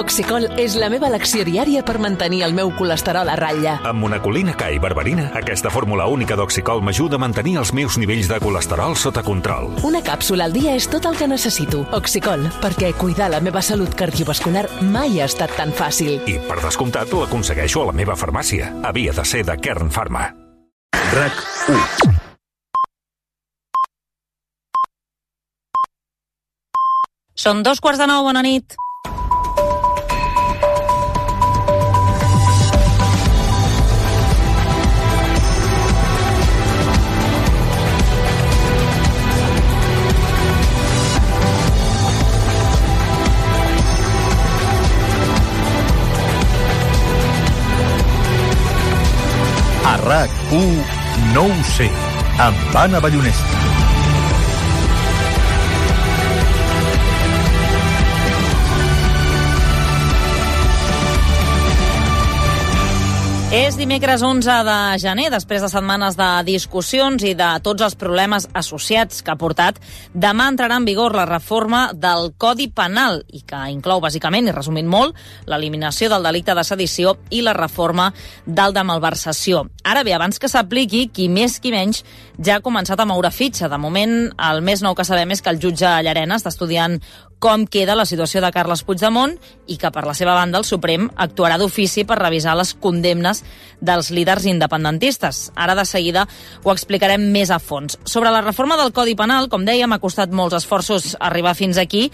Oxicol és la meva elecció diària per mantenir el meu colesterol a ratlla. Amb monacolina K i berberina, aquesta fórmula única d'Oxicol m'ajuda a mantenir els meus nivells de colesterol sota control. Una càpsula al dia és tot el que necessito. Oxicol, perquè cuidar la meva salut cardiovascular mai ha estat tan fàcil. I, per descomptat, l'aconsegueixo a la meva farmàcia. Havia de ser de Kern Pharma. RAC1. Són 2:15, bona nit. A RAC1 no ho sé, amb Anna Ballonesta. És dimecres 11 de gener, després de setmanes de discussions i de tots els problemes associats que ha portat. Demà entrarà en vigor la reforma del Codi Penal i que inclou, bàsicament, i resumint molt, l'eliminació del delicte de sedició i la reforma del de malversació. Ara bé, abans que s'apliqui, qui més qui menys ja ha començat a moure fitxa. De moment, el més nou que sabem és que el jutge Llarena està estudiant com queda la situació de Carles Puigdemont i que, per la seva banda, el Suprem actuarà d'ofici per revisar les condemnes dels líders independentistes. Ara, de seguida, ho explicarem més a fons. Sobre la reforma del Codi Penal, com dèiem, ha costat molts esforços arribar fins aquí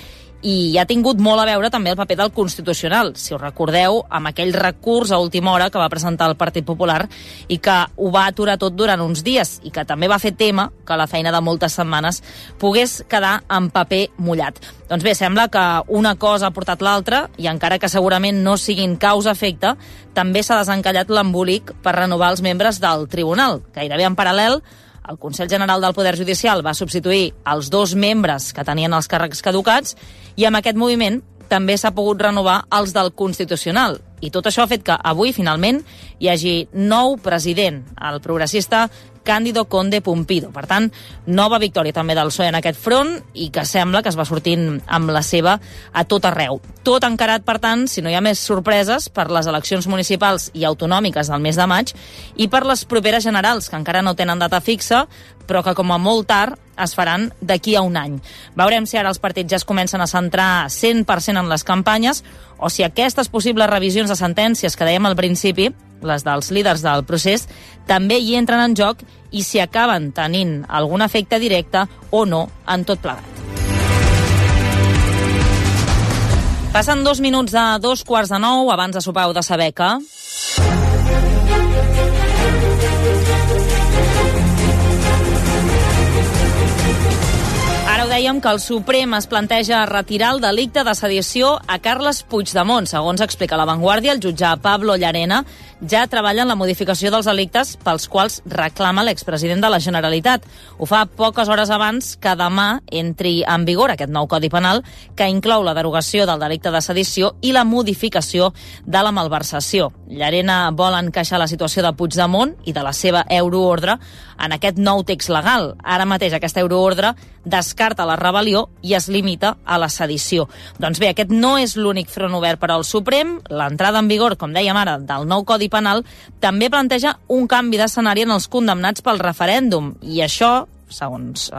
i ha tingut molt a veure també el paper del Constitucional. Si us recordeu, amb aquell recurs a última hora que va presentar el Partit Popular i que ho va aturar tot durant uns dies i que també va fer tema que la feina de moltes setmanes pogués quedar en paper mullat. Doncs bé, sembla que una cosa ha portat l'altra i encara que segurament no siguin causa-efecte, també s'ha desencallat l'embolic per renovar els membres del Tribunal. Gairebé en paral·lel, el Consell General del Poder Judicial va substituir els 2 membres que tenien els càrrecs caducats i amb aquest moviment també s'ha pogut renovar els del Constitucional. I tot això ha fet que avui, finalment, hi hagi nou president, el progressista Cándido Conde Pumpido. Per tant, nova victòria també del PSOE en aquest front i que sembla que es va sortint amb la seva a tot arreu. Tot encarat, per tant, si no hi ha més sorpreses, per les eleccions municipals i autonòmiques del mes de maig i per les properes generals, que encara no tenen data fixa, però que com a molt tard es faran d'aquí a un any. Veurem si ara els partits ja es comencen a centrar 100% en les campanyes o si aquestes possibles revisions de sentències que dèiem al principi, les dels líders del procés, també hi entren en joc i si acaben tenint algun efecte directe o no en tot plegat. Passen 2 minuts de 2:15, abans de sopar heu de saber que... Ara ho dèiem que el Suprem es planteja retirar el delicte de sedició a Carles Puigdemont. Segons explica La Vanguardia, el jutge Pablo Llarena ja treballa en la modificació dels delictes pels quals reclama l'expresident de la Generalitat. Ho fa poques hores abans que demà entri en vigor aquest nou Codi Penal que inclou la derogació del delicte de sedició i la modificació de la malversació. Llarena vol encaixar la situació de Puigdemont i de la seva euroordre en aquest nou text legal. Ara mateix aquesta euroordre descarta la rebel·lió i es limita a la sedició. Doncs bé, aquest no és l'únic front obert per al Suprem. L'entrada en vigor, com dèiem ara, del nou Codi Penal també planteja un canvi d'escenari en els condemnats pel referèndum. I això, segons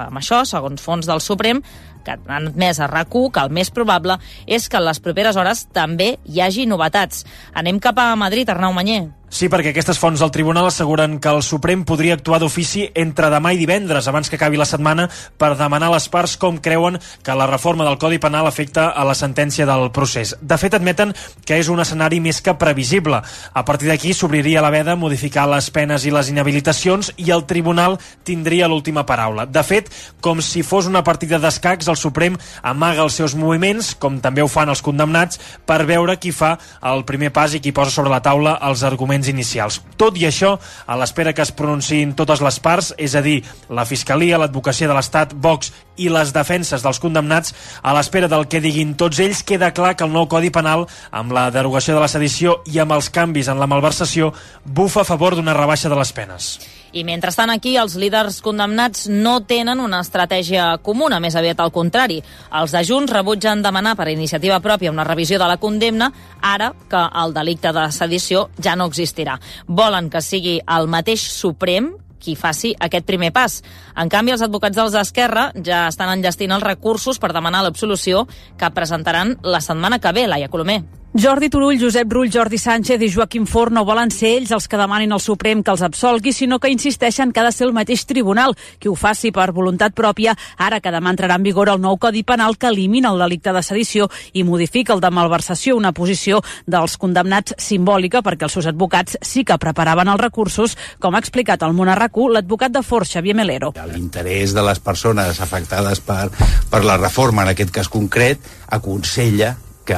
fons del Suprem, que han admès a RAC1, que el més probable és que en les properes hores també hi hagi novetats. Anem cap a Madrid, Arnau Manyer. Sí, perquè aquestes fonts del tribunal asseguren que el Suprem podria actuar d'ofici entre demà i divendres, abans que acabi la setmana, per demanar a les parts com creuen que la reforma del Codi Penal afecta a la sentència del procés. De fet, admeten que és un escenari més que previsible. A partir d'aquí s'obriria la veda a modificar les penes i les inhabilitacions i el tribunal tindria l'última paraula. De fet, com si fos una partida d'escacs, el Suprem amaga els seus moviments, com també ho fan els condemnats, per veure qui fa el primer pas i qui posa sobre la taula els arguments inicials. Tot i això, a l'espera que es pronunciïn totes les parts, és a dir, la Fiscalia, l'Advocacia de l'Estat, Vox i les defenses dels condemnats, a l'espera del que diguin tots ells, queda clar que el nou Codi Penal, amb la derogació de la sedició i amb els canvis en la malversació, bufa a favor d'una rebaixa de les penes. I mentrestant aquí els líders condemnats no tenen una estratègia comuna, més aviat al contrari. Els de Junts rebutgen demanar per iniciativa pròpia una revisió de la condemna, ara que el delicte de sedició ja no existirà. Volen que sigui el mateix Suprem qui faci aquest primer pas. En canvi, els advocats dels d'Esquerra ja estan enllestint els recursos per demanar l'absolució que presentaran la setmana que ve, Laia Colomer. Jordi Turull, Josep Rull, Jordi Sánchez i Joaquim Forn no volen ser ells els que demanin al Suprem que els absolgui, sinó que insisteixen que ha de ser el mateix tribunal qui ho faci per voluntat pròpia, ara que demà entrarà en vigor el nou Codi Penal que elimina el delicte de sedició i modifica el de malversació, una posició dels condemnats simbòlica perquè els seus advocats sí que preparaven els recursos, com ha explicat al Món a RAC1 l'advocat de Forn, Xavier Melero. L'interès de les persones afectades per la reforma, en aquest cas concret, aconsella que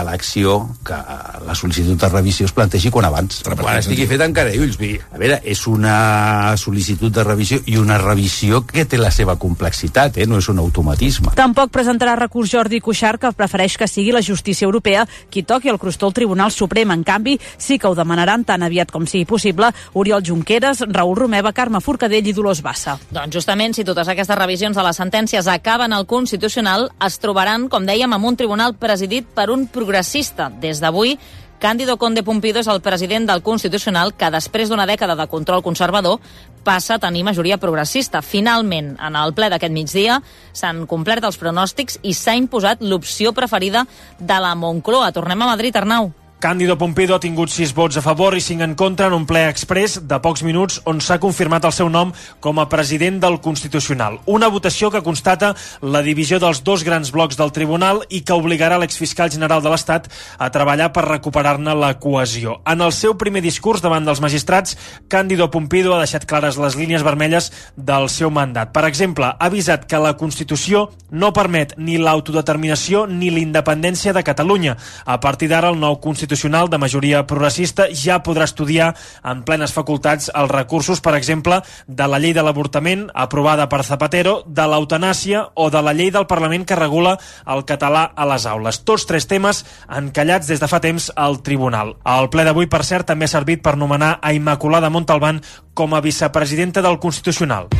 que la sol·licitud de revisió es plantegi quan abans. Però quan estigui fet encara ulls. A veure, és una sol·licitud de revisió i una revisió que té la seva complexitat, no és un automatisme. Tampoc presentarà recurs Jordi Cuixart, que prefereix que sigui la justícia europea qui toqui el crostó al Tribunal Suprem. En canvi, sí que ho demanaran tan aviat com sigui possible Oriol Junqueras, Raül Romeva, Carme Forcadell i Dolors Bassa. Doncs justament, si totes aquestes revisions de les sentències acaben al Constitucional, es trobaran, com dèiem, amb un tribunal presidit per un progressista. Des d'avui, Cándido Conde Pumpido és el president del Constitucional que, després d'una dècada de control conservador, passa a tenir majoria progressista. Finalment, en el ple d'aquest migdia, s'han complert els pronòstics i s'ha imposat l'opció preferida de la Moncloa. Tornem a Madrid, Arnau. Cándido Pumpido ha tingut 6 vots a favor i 5 en contra en un ple exprés de pocs minuts on s'ha confirmat el seu nom com a president del Constitucional. Una votació que constata la divisió dels dos grans blocs del tribunal i que obligarà l'exfiscal general de l'Estat a treballar per recuperar-ne la cohesió. En el seu primer discurs davant dels magistrats, Cándido Pumpido ha deixat clares les línies vermelles del seu mandat. Per exemple, ha avisat que la Constitució no permet ni l'autodeterminació ni l'independència de Catalunya. A partir d'ara, el nou Constitucional de majoria progressista ja podrà estudiar en plenes facultats els recursos, per exemple, de la llei de l'avortament aprovada per Zapatero, de l'eutanàsia o de la llei del Parlament que regula el català a les aules. Tots 3 temes encallats des de fa temps al Tribunal. El ple d'avui, per cert, també ha servit per nomenar a Immaculada Montalbán com a vicepresidenta del Constitucional.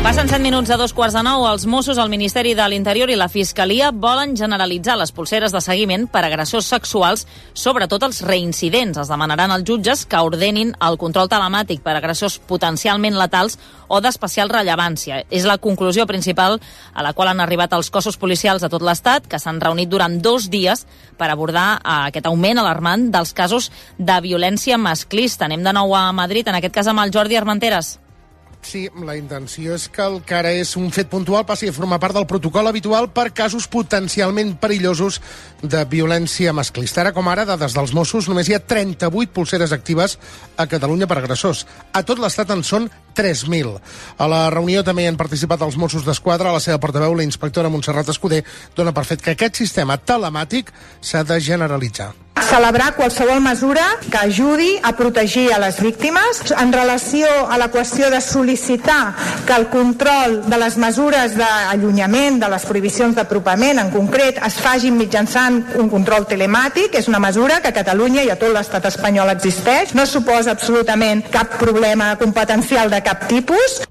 Passen 7 minuts a 8:45. Els Mossos, el Ministeri de l'Interior i la Fiscalia volen generalitzar les polseres de seguiment per agressors sexuals, sobretot els reincidents. Es demanaran als jutges que ordenin el control telemàtic per agressors potencialment letals o d'especial rellevància. És la conclusió principal a la qual han arribat els cossos policials de tot l'Estat, que s'han reunit durant 2 dies per abordar aquest augment alarmant dels casos de violència masclista. Anem de nou a Madrid, en aquest cas amb el Jordi Armenteres. Sí, la intenció és que el que ara és un fet puntual passi a formar part del protocol habitual per casos potencialment perillosos de violència masclista. Ara com ara, dades dels Mossos, només hi ha 38 polseres actives a Catalunya per agressors. A tot l'Estat en són 3.000. A la reunió també hi han participat els Mossos d'Esquadra. A la seva portaveu, la inspectora Montserrat Escudé, dona per fet que aquest sistema telemàtic s'ha de generalitzar. Celebrar qualsevol mesura que ajudi a protegir a les víctimes. En relació a la qüestió de sol·licitar que el control de les mesures d'allunyament, de les prohibicions d'apropament en concret, es facin mitjançant un control telemàtic, és una mesura que a Catalunya i a tot l'estat espanyol existeix. No suposa absolutament cap problema competencial de cap tipus.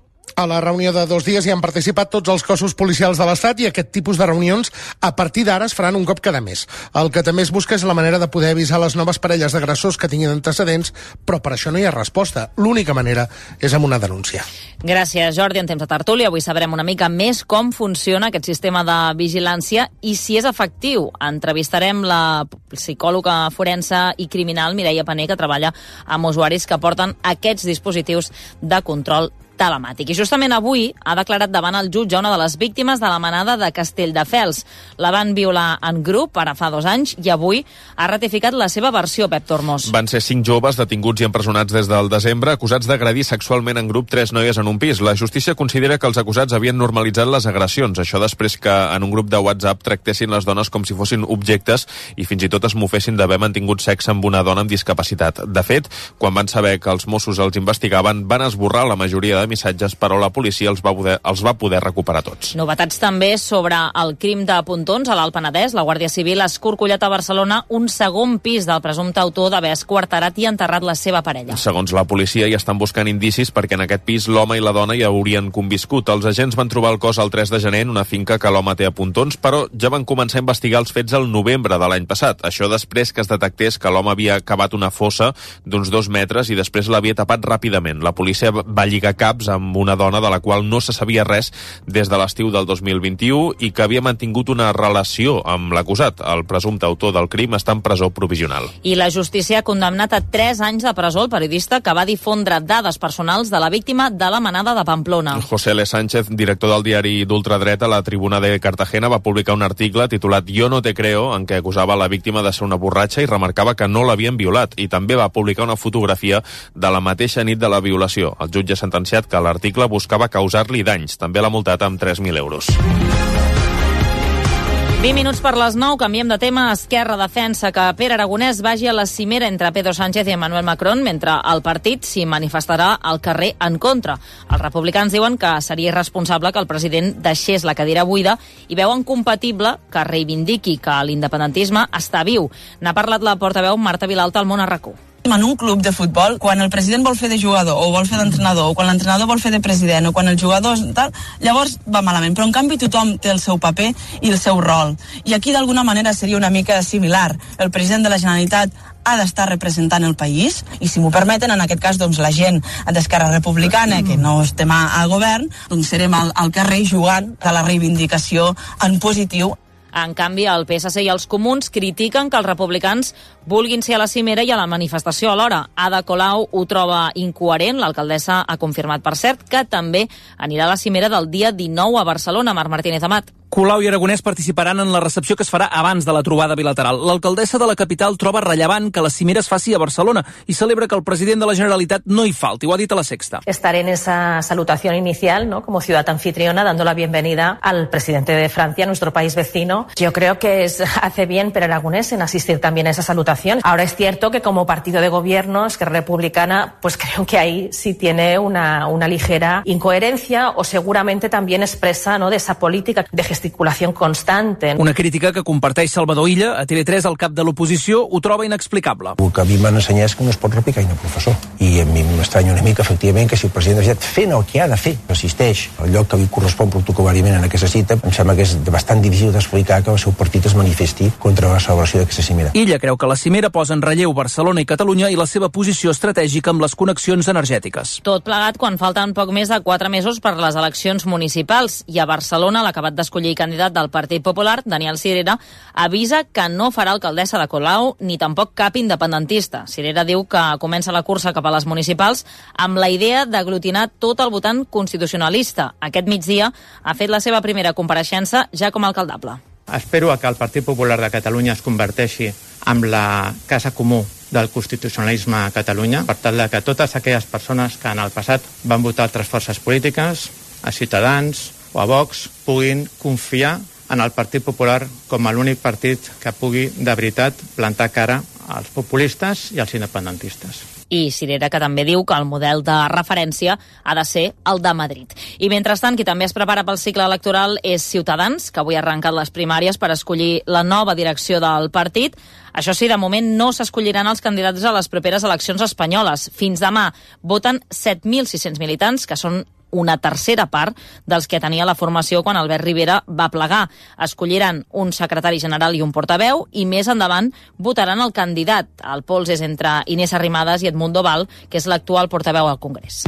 A la reunió de 2 dies hi han participat tots els cossos policials de l'Estat i aquest tipus de reunions a partir d'ara es faran un cop cada mes. El que també es busca és la manera de poder avisar les noves parelles d'agressors que tinguin antecedents, però per això no hi ha resposta. L'única manera és amb una denúncia. Gràcies, Jordi. En temps de tertúlia avui sabrem una mica més com funciona aquest sistema de vigilància i si és efectiu. Entrevistarem la psicòloga forense i criminal Mireia Paner, que treballa amb usuaris que porten aquests dispositius de control telemàtic. I justament avui ha declarat davant el jutge una de les víctimes de la manada de Castelldefels. La van violar en grup ara fa 2 anys i avui ha ratificat la seva versió, Pep Tormos. Van ser 5 joves detinguts i empresonats des del desembre, acusats d'agredir sexualment en grup 3 noies en un pis. La justícia considera que els acusats havien normalitzat les agressions. Això després que en un grup de WhatsApp tractessin les dones com si fossin objectes i fins i tot es mofessin d'haver mantingut sexe amb una dona amb discapacitat. De fet, quan van saber que els Mossos els investigaven, van esborrar la majoria de missatges, però la policia els va poder recuperar tots. Novetats també sobre el crim de Pontons a l'Alt Penedès. La Guàrdia Civil ha escorcollat a Barcelona un segon pis del presumpte autor d'haver esquarterat i enterrat la seva parella. Segons la policia, hi estan buscant indicis perquè en aquest pis l'home i la dona hi haurien conviscut. Els agents van trobar el cos el 3 de gener en una finca que l'home té a Pontons, però ja van començar a investigar els fets el novembre de l'any passat. Això després que es detectés que l'home havia cavat una fossa d'uns 2 metres i després l'havia tapat ràpidament. La policia va lligar caps amb una dona de la qual no se sabia res des de l'estiu del 2021 i que havia mantingut una relació amb l'acusat. El presumpte autor del crim està en presó provisional. I la justícia ha condemnat a 3 anys de presó el periodista que va difondre dades personals de la víctima de la manada de Pamplona. José L. Sánchez, director del diari d'ultradreta La Tribuna de Cartagena, va publicar un article titulat Yo no te creo, en què acusava la víctima de ser una borratxa i remarcava que no l'havien violat, i també va publicar una fotografia de la mateixa nit de la violació. El jutge ha sentenciat que l'article buscava causar-li danys. També l'ha multat amb 3.000 euros. 20 minuts per les 9, canviem de tema. Esquerra defensa que Pere Aragonès vagi a la cimera entre Pedro Sánchez i Emmanuel Macron, mentre el partit s'hi manifestarà al carrer en contra. Els republicans diuen que seria irresponsable que el president deixés la cadira buida i veuen compatible que reivindiqui que l'independentisme està viu. N'ha parlat la portaveu Marta Vilalta al Món a RAC1. En un club de futbol, quan el president vol fer de jugador o vol fer d'entrenador, o quan l'entrenador vol fer de president, o quan el jugador tal, llavors va malament, però en canvi tothom té el seu paper i el seu rol. I aquí d'alguna manera seria una mica similar. El president de la Generalitat ha d'estar representant el país, i si m'ho permeten, en aquest cas, doncs, la gent d'Esquerra Republicana, que no estem al govern, doncs serem al carrer jugant de la reivindicació en positiu. En canvi, el PSC i els comuns critiquen que els republicans vulguin ser a la cimera i a la manifestació alhora. Ada Colau ho troba incoherent. L'alcaldessa ha confirmat, per cert, que també anirà a la cimera del dia 19 a Barcelona. Marc Martínez Amat. Colau i Aragonès participaran en la recepció que es farà abans de la trobada bilateral. L'alcaldessa de la capital troba rellevant que la cimera es faci a Barcelona i celebra que el president de la Generalitat no hi falti. Ho ha dit a La Sexta. Estaré en esa salutación inicial, ¿no?, como ciudad anfitriona, dando la bienvenida al presidente de Francia, nuestro país vecino. Yo creo que hace bien Pere Aragonès en asistir también a esa salutación. Ahora es cierto que como partido de gobierno, Esquerra Republicana, pues creo que ahí sí tiene una ligera incoherencia, o seguramente también expresa, ¿no?, de esa política de gesticulació constante. Una crítica que comparteix Salvador Illa. A TV3, el cap de l'oposició ho troba inexplicable. El que a mi m'han ensenyat és que no es pot replicar i no professor. I a mi m'estranya una mica, efectivament, que si el president de la Generalitat fent el que ha de fer, assisteix al lloc que li correspon protocolàriament en aquesta cita, em sembla que és bastant difícil d'explicar que el seu partit es manifesti contra la celebració d'aquesta cimera. Illa creu que la cimera posa en relleu Barcelona i Catalunya i la seva posició estratègica amb les connexions energètiques. Tot plegat quan falten poc més de 4 mesos per les eleccions municipals, i a Barcelona l'acabat d'escollir candidat del Partit Popular, Daniel Sirera, avisa que no farà alcaldessa de Colau ni tampoc cap independentista. Sirera diu que comença la cursa cap a les municipals amb la idea d'aglutinar tot el votant constitucionalista. Aquest migdia ha fet la seva primera compareixença ja com a alcaldable. Espero que el Partit Popular de Catalunya es converteixi en la casa comú del constitucionalisme a Catalunya, per tal que totes aquelles persones que en el passat van votar altres forces polítiques, a Ciutadans o a Vox, puguin confiar en el Partit Popular com a l'únic partit que pugui de veritat plantar cara als populistes i als independentistes. I Sirera, que també diu que el model de referència ha de ser el de Madrid. I mentrestant, qui també es prepara pel cicle electoral és Ciutadans, que avui ha arrencat les primàries per escollir la nova direcció del partit. Això sí, de moment no s'escolliran els candidats a les properes eleccions espanyoles. Fins demà voten 7.600 militants, que són una tercera part dels que tenia la formació quan Albert Rivera va plegar. Escolliran un secretari general i un portaveu, i més endavant votaran el candidat. El pols és entre Inés Arrimadas i Edmundo Val, que és l'actual portaveu al Congrés.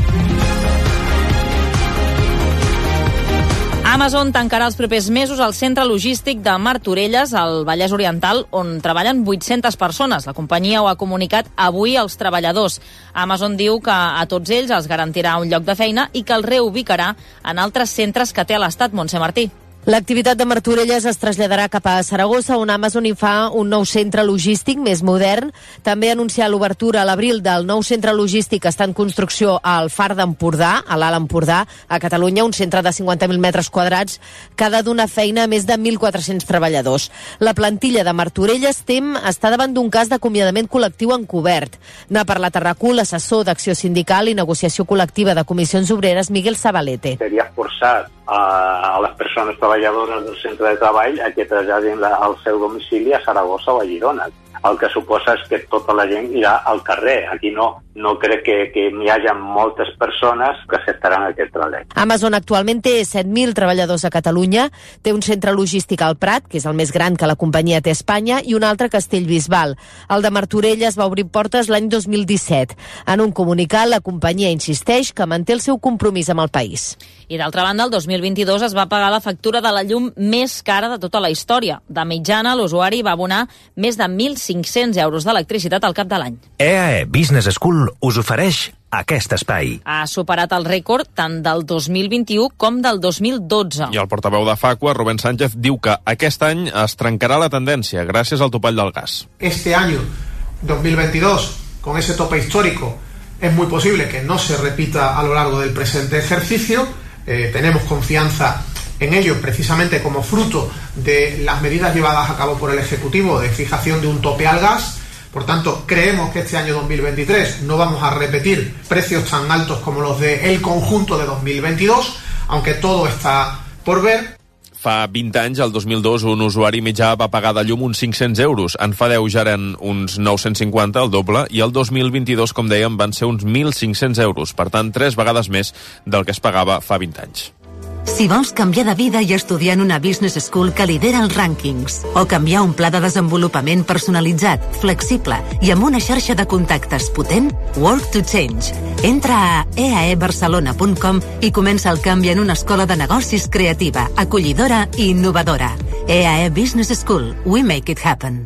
Amazon tancarà els propers mesos el centre logístic de Martorelles, al Vallès Oriental, on treballen 800 persones. La companyia ho ha comunicat avui als treballadors. Amazon diu que a tots ells els garantirà un lloc de feina i que els reubicarà en altres centres que té a l'Estat. Montse Martí. L'activitat de Martorelles es traslladarà cap a Saragossa, on Amazon hi fa un nou centre logístic més modern. També ha anunciat l'obertura a l'abril del nou centre logístic que està en construcció al Far d'Empordà, a l'Alt Empordà, a Catalunya, un centre de 50.000 metres quadrats que ha de donar feina a més de 1.400 treballadors. La plantilla de Martorelles TEM està davant d'un cas d'acomiadament col·lectiu encobert. N'ha parlat a RAC1 l'assessor d'Acció Sindical i Negociació Col·lectiva de Comissions Obreres, Miguel Zabalete. Seria forçat a les persones treballadores del centre de treball a que traslladin al seu domicili a Saragossa o a Girona. El que suposa és que tota la gent irà al carrer. Aquí no crec que n'hi hagi moltes persones que acceptaran aquest trasllat. Amazon actualment té 7.000 treballadors a Catalunya, té un centre logístic al Prat, que és el més gran que la companyia té a Espanya, i un altre a Castellbisbal. El de Martorelles va obrir portes l'any 2017. En un comunicat, la companyia insisteix que manté el seu compromís amb el país. I d'altra banda, el 2022 es va pagar la factura de la llum més cara de tota la història. De mitjana, l'usuari va abonar més de 1.500 euros d'electricitat al cap de l'any. EAE Business School us ofereix aquest espai. Ha superat el rècord tant del 2021 com del 2012. I el portaveu de Facua, Rubén Sánchez, diu que aquest any es trencarà la tendència gràcies al topall del gas. Este año, 2022, con ese tope histórico, es muy posible que no se repita a lo largo del presente ejercicio. Tenemos confianza en ello precisamente como fruto de las medidas llevadas a cabo por el Ejecutivo de fijación de un tope al gas. Por tanto, creemos que este año 2023 no vamos a repetir precios tan altos como los del conjunto de 2022, aunque todo está por ver. Fa 20 anys, el 2002, un usuari mitjà va pagar de llum uns 500 euros. En fa 10 ja eren uns 950, el doble, i el 2022, com dèiem, van ser uns 1.500 euros. Per tant, 3 vegades més del que es pagava fa 20 anys. Si vols canviar de vida i estudiar en una business school que lidera els rànquings, o canviar un pla de desenvolupament personalitzat, flexible i amb una xarxa de contactes potent, Work to Change. Entra a eaebarcelona.com i comença el canvi en una escola de negocis creativa, acollidora i innovadora. EAE Business School. We make it happen.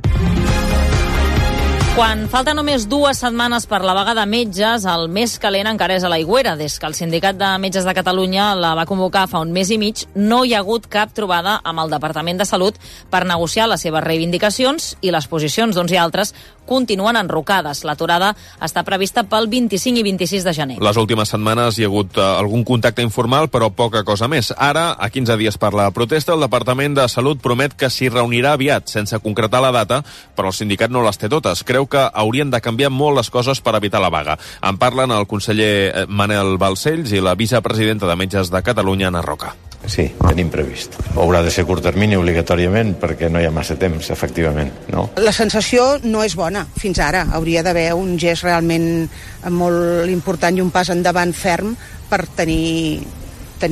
Quan falta només 2 setmanes per la vaga de metges, el més calent encara és a l'Aigüera. Des que el Sindicat de Metges de Catalunya la va convocar fa un mes i mig, no hi ha hagut cap trobada amb el Departament de Salut per negociar les seves reivindicacions i les posicions d'uns i altres continuen enrocades. L'aturada està prevista pel 25 i 26 de gener. Les últimes setmanes hi ha hagut algun contacte informal, però poca cosa més. Ara, a 15 dies per la protesta, el Departament de Salut promet que s'hi reunirà aviat, sense concretar la data, però el sindicat no les té totes. Creu que haurien de canviar molt les coses per evitar la vaga. En parlen el conseller Manel Balcells i la vicepresidenta de Metges de Catalunya, Ana Roca. Sí, tenim previst. Haurà de ser curt termini obligatòriament perquè no hi ha massa temps, efectivament, no? La sensació no és bona fins ara. Hauria d'haver un gest realment molt important i un pas endavant ferm per tenir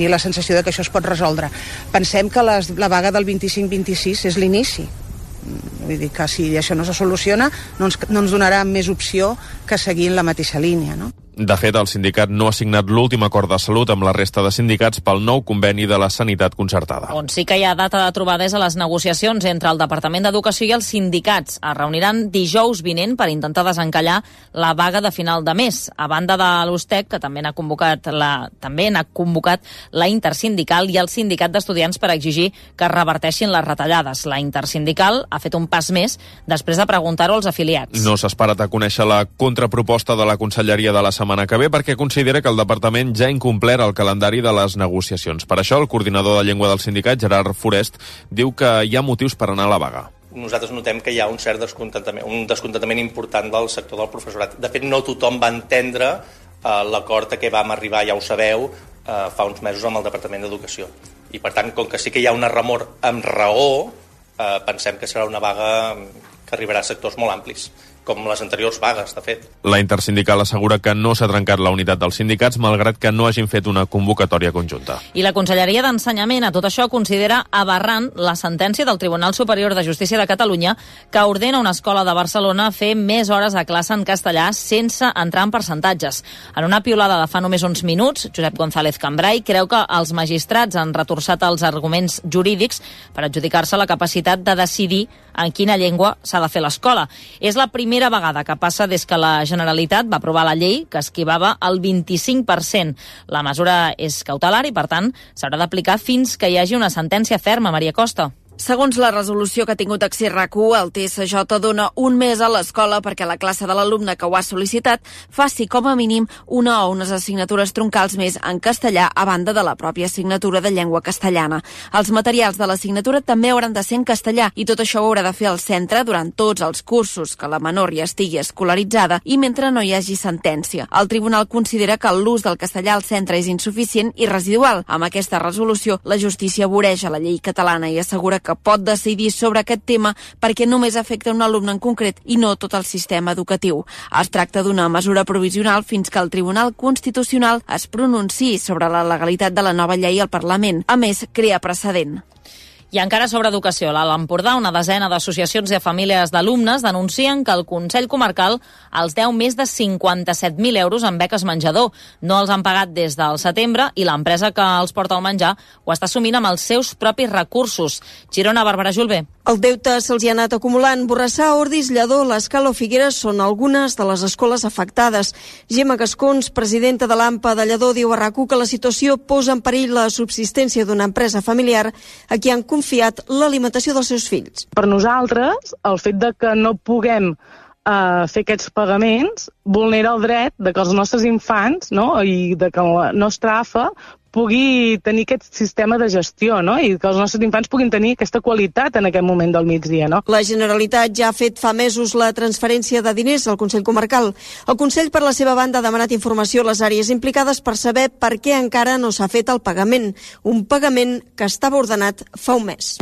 la sensació de que això es pot resoldre. Pensem que la vaga del 25-26 és l'inici. Vull dir que si això no se soluciona no ens donarà més opció que seguir en la mateixa línia, no? De fet, el sindicat no ha signat l'últim acord de salut amb la resta de sindicats pel nou conveni de la sanitat concertada. On sí que hi ha data de trobada és a les negociacions entre el Departament d'Educació i els sindicats. Es reuniran dijous vinent per intentar desencallar la vaga de final de mes. A banda de l'USTEC, que també n'ha convocat la intersindical i el sindicat d'estudiants per exigir que es reverteixin les retallades. La intersindical ha fet un pas més després de preguntar-ho als afiliats. No s'ha esperat a conèixer la contraproposta de la Conselleria de la setmana que ve perquè considera que el departament ja ha incomplert el calendari de les negociacions. Per això, el coordinador de llengua del sindicat, Gerard Forest, diu que hi ha motius per anar a la vaga. Nosaltres notem que hi ha un cert descontentament important del sector del professorat. De fet, no tothom va entendre l'acord a què vam arribar, ja ho sabeu, fa uns mesos amb el Departament d'Educació. I, per tant, com que sí que hi ha una remor amb raó, pensem que serà una vaga que arribarà a sectors molt amplis, com les anteriors vagues, de fet. La intersindical assegura que no s'ha trencat la unitat dels sindicats, malgrat que no hagin fet una convocatòria conjunta. I la Conselleria d'Ensenyament a tot això considera aberrant la sentència del Tribunal Superior de Justícia de Catalunya que ordena una escola de Barcelona fer més hores a classe en castellà sense entrar en percentatges. En una piulada de fa només uns minuts, Josep González Cambrai creu que els magistrats han retorçat els arguments jurídics per adjudicar-se la capacitat de decidir en quina llengua s'ha de fer l'escola. És la primera primera vegada que passa des que la Generalitat va aprovar la llei que esquivava el 25%. La mesura és cautelar i, per tant, s'haurà d'aplicar fins que hi hagi una sentència ferma. Maria Costa. Segons la resolució que ha tingut accés RAC1, el TSJ dona un mes a l'escola perquè la classe de l'alumne que ho ha sol·licitat faci com a mínim una o unes assignatures troncals més en castellà a banda de la pròpia assignatura de llengua castellana. Els materials de l'assignatura també hauran de ser en castellà i tot això ho haurà de fer el centre durant tots els cursos que la menor ja estigui escolaritzada i mentre no hi hagi sentència. El tribunal considera que l'ús del castellà al centre és insuficient i residual. Amb aquesta resolució, la justícia voreja la llei catalana i assegura que pot decidir sobre aquest tema perquè només afecta un alumne en concret i no tot el sistema educatiu. Es tracta d'una mesura provisional fins que el Tribunal Constitucional es pronunciï sobre la legalitat de la nova llei al Parlament. A més, crea precedent. I encara sobre educació, a l'Alt Empordà, una desena d'associacions i famílies d'alumnes denuncien que el Consell Comarcal els deu més de 57.000 euros en beques menjador. No els han pagat des del setembre i l'empresa que els porta el menjar ho està assumint amb els seus propis recursos. Girona, Bàrbara Julve. El deute se'ls hi ha anat acumulant. Borrassà, Ordis, Lledó, l'Escala o Figueres són algunes de les escoles afectades. Gemma Gascons, presidenta de l'AMPA de Lledó, diu a RAC1 que la situació posa en perill la subsistència d'una empresa familiar a qui han confiat l'alimentació dels seus fills. Per nosaltres, el fet de que no puguem fer aquests pagaments vulnera el dret de que els nostres infants, no? I de que la nostra AFA pugui tenir aquest sistema de gestió, no? I que els nostres infants puguin tenir aquesta qualitat en aquest moment del migdia, no? La Generalitat ja ha fet fa mesos la transferència de diners al Consell Comarcal. El Consell, per la seva banda, ha demanat informació a les àrees implicades per saber per què encara no s'ha fet el pagament. Un pagament que estava ordenat fa un mes.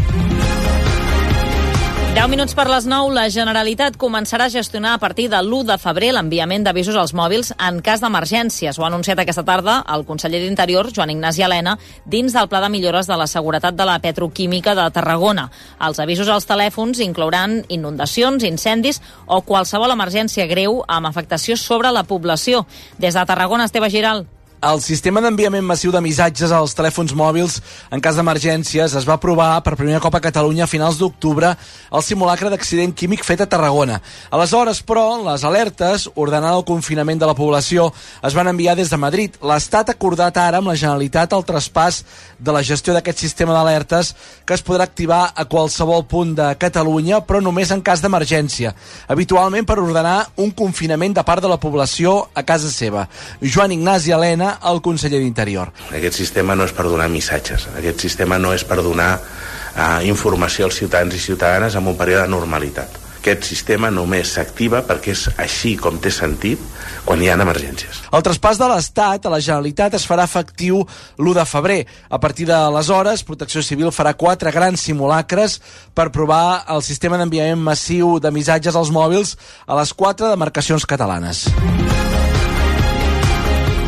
10 minuts per les 9, la Generalitat començarà a gestionar a partir de l'1 de febrer l'enviament d'avisos als mòbils en cas d'emergències. Ho ha anunciat aquesta tarda el conseller d'Interior, Joan Ignasi Elena, dins del Pla de Millores de la Seguretat de la Petroquímica de Tarragona. Els avisos als telèfons inclouran inundacions, incendis o qualsevol emergència greu amb afectació sobre la població. Des de Tarragona, Esteve Giral. El sistema d'enviament massiu de missatges als telèfons mòbils en cas d'emergències es va aprovar per primer cop a Catalunya a finals d'octubre al simulacre d'accident químic fet a Tarragona. Aleshores, però, les alertes ordenant el confinament de la població es van enviar des de Madrid. L'Estat ha acordat ara amb la Generalitat el traspàs de la gestió d'aquest sistema d'alertes que es podrà activar a qualsevol punt de Catalunya, però només en cas d'emergència, habitualment per ordenar un confinament de part de la població a casa seva. Joan Ignasi Elena, el conseller d'Interior. Aquest sistema no és per donar missatges, aquest sistema no és per donar informació als ciutadans i ciutadanes en un període de normalitat. Aquest sistema només s'activa perquè és així com té sentit quan hi ha emergències. El traspàs de l'Estat a la Generalitat es farà efectiu l'1 de febrer. A partir d'aleshores, Protecció Civil farà 4 grans simulacres per provar el sistema d'enviament massiu de missatges als mòbils a les 4 demarcacions catalanes.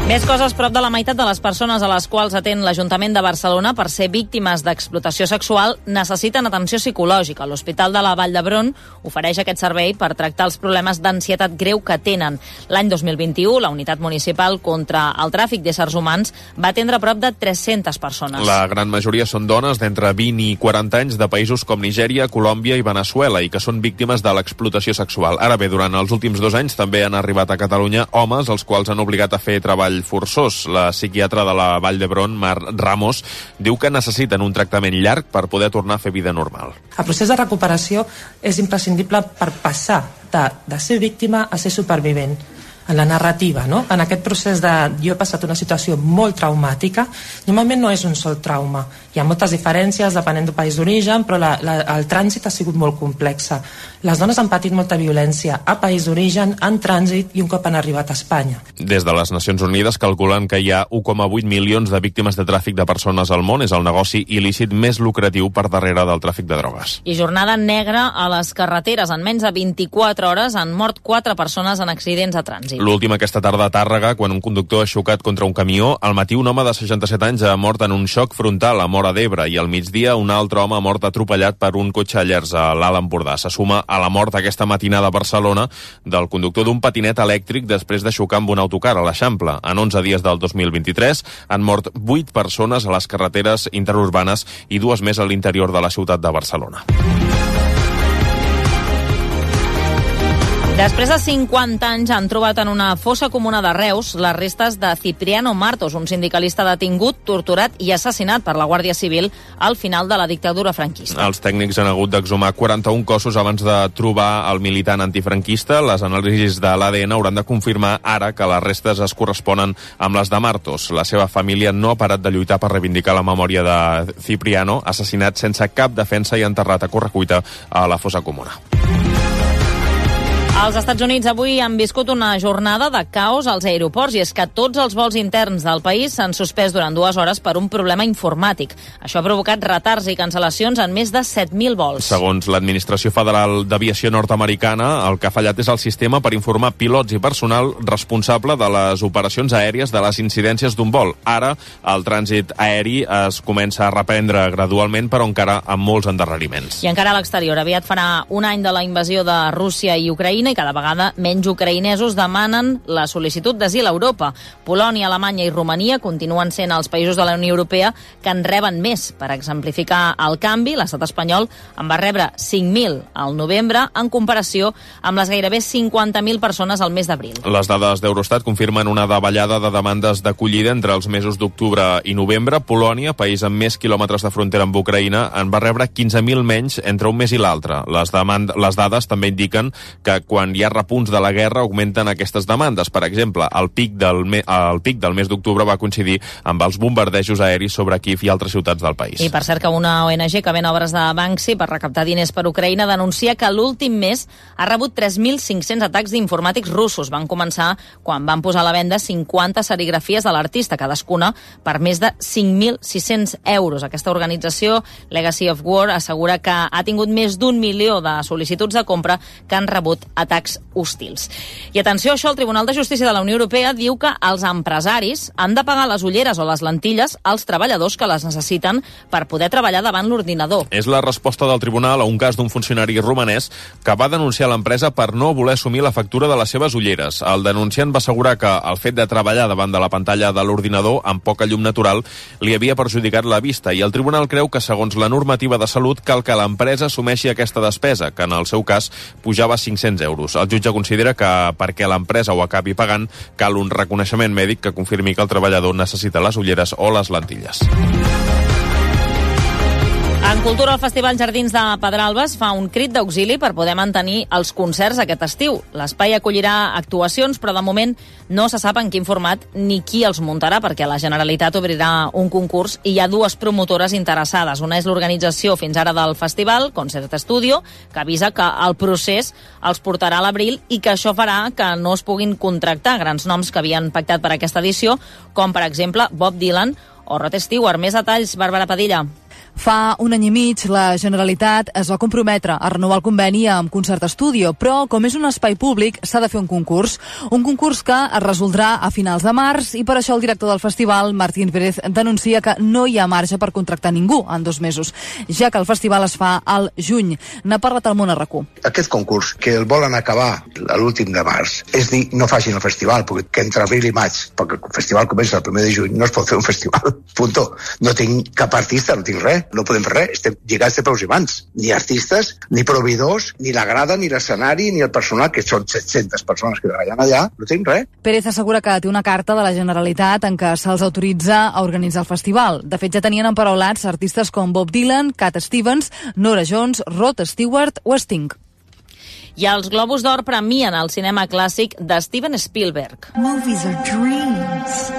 Més coses, prop de la meitat de les persones a les quals atén l'Ajuntament de Barcelona per ser víctimes d'explotació sexual necessiten atenció psicològica. L'Hospital de la Vall d'Hebron ofereix aquest servei per tractar els problemes d'ansietat greu que tenen. L'any 2021, la Unitat Municipal contra el Tràfic d'éssers humans va atendre prop de 300 persones. La gran majoria són dones d'entre 20 i 40 anys de països com Nigèria, Colòmbia i Veneçuela i que són víctimes de l'explotació sexual. Ara bé, durant els últims 2 anys també han arribat a Catalunya homes els quals han obligat a fer treball forçós. La psiquiatra de la Vall d'Hebron, Mar Ramos, diu que necessiten un tractament llarg per poder tornar a fer vida normal. El procés de recuperació és imprescindible per passar de ser víctima a ser supervivent en la narrativa, no? En aquest procés de jo he passat una situació molt traumàtica, normalment no és un sol trauma. Hi ha moltes diferències depenent del país d'origen, però el trànsit ha sigut molt complex. Les dones han patit molta violència a país d'origen, en trànsit i un cop han arribat a Espanya. Des de les Nacions Unides calculen que hi ha 1,8 milions de víctimes de tràfic de persones al món. És el negoci il·lícit més lucratiu per darrere del tràfic de drogues. I jornada negra a les carreteres. En menys de 24 hores han mort 4 persones en accidents de trànsit. L'última aquesta tarda a Tàrrega, quan un conductor ha xocat contra un camió. Al matí un home de 67 anys ha mort en un xoc frontal a Móra d'Ebre i al migdia un altre home ha mort atropellat per un cotxe a Llers a l'Alt Empordà. Se suma a la mort aquesta matinada a Barcelona del conductor d'un patinet elèctric després de xocar amb un autocar a l'Eixample. En 11 dies del 2023 han mort 8 persones a les carreteres interurbanes i 2 més a l'interior de la ciutat de Barcelona. Després de 50 anys han trobat en una fossa comuna de Reus les restes de Cipriano Martos, un sindicalista detingut, torturat i assassinat per la Guàrdia Civil al final de la dictadura franquista. Els tècnics han hagut d'exhumar 41 cossos abans de trobar el militant antifranquista. Les anàlisis de l'ADN hauran de confirmar ara que les restes es corresponen amb les de Martos. La seva família no ha parat de lluitar per reivindicar la memòria de Cipriano, assassinat sense cap defensa i enterrat a correcuita a la fossa comuna. Els Estats Units avui han viscut una jornada de caos als aeroports i és que tots els vols interns del país s'han suspès durant 2 hores per un problema informàtic. Això ha provocat retards i cancel·lacions en més de 7.000 vols. Segons l'Administració Federal d'Aviació nord-americana, el que ha fallat és el sistema per informar pilots i personal responsable de les operacions aèries de les incidències d'un vol. Ara, el trànsit aeri es comença a reprendre gradualment, però encara amb molts endarreriments. I encara a l'exterior, aviat farà un any de la invasió de Rússia i Ucraïna i cada vegada menys ucraïnesos demanen la sol·licitud d'asil a Europa. Polònia, Alemanya i Romania continuen sent els països de la Unió Europea que en reben més. Per exemplificar el canvi, l'estat espanyol en va rebre 5.000 al novembre en comparació amb les gairebé 50.000 persones al mes d'abril. Les dades d'Eurostat confirmen una davallada de demandes d'acollida entre els mesos d'octubre i novembre. Polònia, país amb més quilòmetres de frontera amb Ucraïna, en va rebre 15.000 menys entre un mes i l'altre. Les dades també indiquen que quan hi ha repunts de la guerra augmenten aquestes demandes. Per exemple, el pic del mes d'octubre va coincidir amb els bombardejos aeris sobre Kíev i altres ciutats del país. I per cert que una ONG que ven obres de Banksy per recaptar diners per Ucraïna denuncia que l'últim mes ha rebut 3.500 atacs d'informàtics russos. Van començar quan van posar a la venda 50 serigrafies de l'artista, cadascuna per més de 5.600 euros. Aquesta organització, Legacy of War, assegura que ha tingut més d'1 milió de sol·licituds de compra que han rebut atacs hostils. I atenció a això, el Tribunal de Justícia de la Unió Europea diu que els empresaris han de pagar les ulleres o les lentilles als treballadors que les necessiten per poder treballar davant l'ordinador. És la resposta del tribunal a un cas d'un funcionari romanès que va denunciar l'empresa per no voler assumir la factura de les seves ulleres. El denunciant va assegurar que el fet de treballar davant de la pantalla de l'ordinador amb poca llum natural li havia perjudicat la vista i el tribunal creu que, segons la normativa de salut, cal que l'empresa assumeixi aquesta despesa, que en el seu cas pujava 500 euros. El jutge considera que perquè l'empresa ho acabi pagant cal un reconeixement mèdic que confirmi que el treballador necessita les ulleres o les lentilles. En cultura, el Festival Jardins de Pedralbes fa un crit d'auxili per poder mantenir els concerts aquest estiu. L'espai acollirà actuacions, però de moment no se sap en quin format ni qui els muntarà, perquè la Generalitat obrirà un concurs i hi ha 2 promotores interessades. Una és l'organització fins ara del festival, Concert Studio, que avisa que el procés els portarà a l'abril i que això farà que no es puguin contractar grans noms que havien pactat per aquesta edició, com per exemple Bob Dylan o Rod Stewart. Més detalls, Bàrbara Padilla. Fa un any i mig, la Generalitat es va comprometre a renovar el conveni amb Concert Studio, però com és un espai públic s'ha de fer un concurs que es resoldrà a finals de març i per això el director del festival, Martín Pérez, denuncia que no hi ha marge per contractar ningú en 2 mesos, ja que el festival es fa al juny. N'ha parlat al Món a RAC1. Aquest concurs, que el volen acabar a l'últim de març, és dir, no facin el festival, perquè entre abril i maig, perquè el festival comença el 1 de juny, no es pot fer un festival, punto. No tinc cap artista, no tinc res. No podem fer res, estem lligats de peus i mans. Ni artistes, ni proveïdors, ni la grada, ni l'escenari, ni el personal, que són 700 persones que treballen allà, no tenim res. Pérez assegura que té una carta de la Generalitat en què se'ls autoritza a organitzar el festival. De fet, ja tenien emparaulats artistes com Bob Dylan, Cat Stevens, Norah Jones, Rod Stewart o Sting. I els Globus d'Or premien el cinema clàssic de Steven Spielberg. Movies are dreams.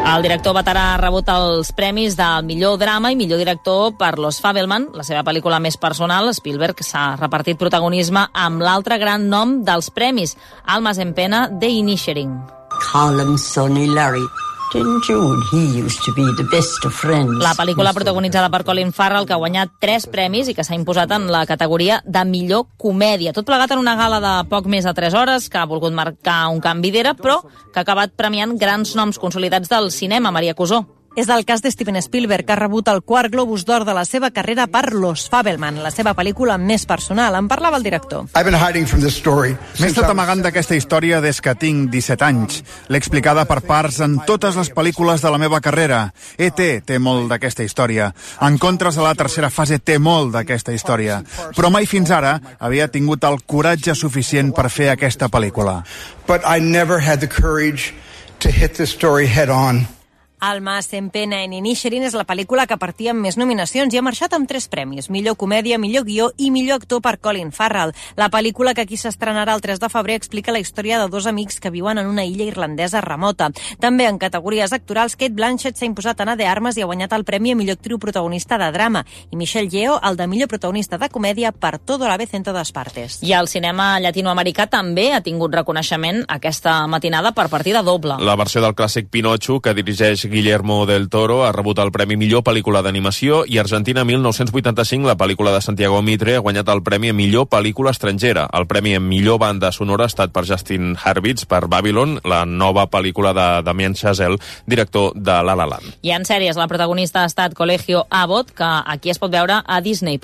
El director veterà ha rebut els premis del millor drama i millor director per Los Fabelman, la seva pel·lícula més personal. Spielberg s'ha repartit protagonisme amb l'altre gran nom dels premis, Almas en pena de Inisherin. Call him Sonny Larry. Jude, he used to be the best of friends. La pel·lícula protagonitzada per Colin Farrell, que ha guanyat 3 premis i que s'ha imposat en la categoria de millor comèdia. Tot plegat en una gala de poc més de 3 hores, que ha volgut marcar un canvi d'era, però que ha acabat premiant grans noms consolidats del cinema. Maria Cusó. és el cas de Steven Spielberg, que ha rebut el 4 Globus d'Or de la seva carrera per Los Fabelman, la seva pel·lícula més personal. En parlava el director. M'he estat amagant d'aquesta història des que tinc 17 anys. L'he explicada per parts en totes les pel·lícules de la meva carrera. E.T. té molt d'aquesta història. Encontres a la tercera fase té molt d'aquesta història. Però mai fins ara havia tingut el coratge suficient per fer aquesta pel·lícula. But I never had the courage to hit this story head on. Alma en pena en Inisherin és la pel·lícula que partia amb més nominacions i ha marxat amb 3 premis: millor comèdia, millor guió i millor actor per Colin Farrell. La pel·lícula, que aquí s'estrenarà el 3 de febrer, explica la història de 2 amics que viuen en una illa irlandesa remota. També en categories actorals, Cate Blanchett s'ha imposat Ana de Armas i ha guanyat el premi a millor actriu protagonista de drama, i Michelle Yeoh el de millor protagonista de comèdia per Todo a la vez en todas partes. I el cinema llatinoamericà també ha tingut reconeixement aquesta matinada per partida doble. La versió del clàssic Pinocho, que dirigeix Guillermo del Toro, ha rebut el Premi Millor Pel·lícula d'Animació, i Argentina 1985, la pel·lícula de Santiago Mitre, ha guanyat el Premi a Millor Pel·lícula Estrangera. El Premi a Millor Banda Sonora ha estat per Justin Hurwitz per Babylon, la nova pel·lícula de Damien Chazelle, director de La La Land. I en sèries, la protagonista ha estat Colegio Abbott, que aquí es pot veure a Disney+.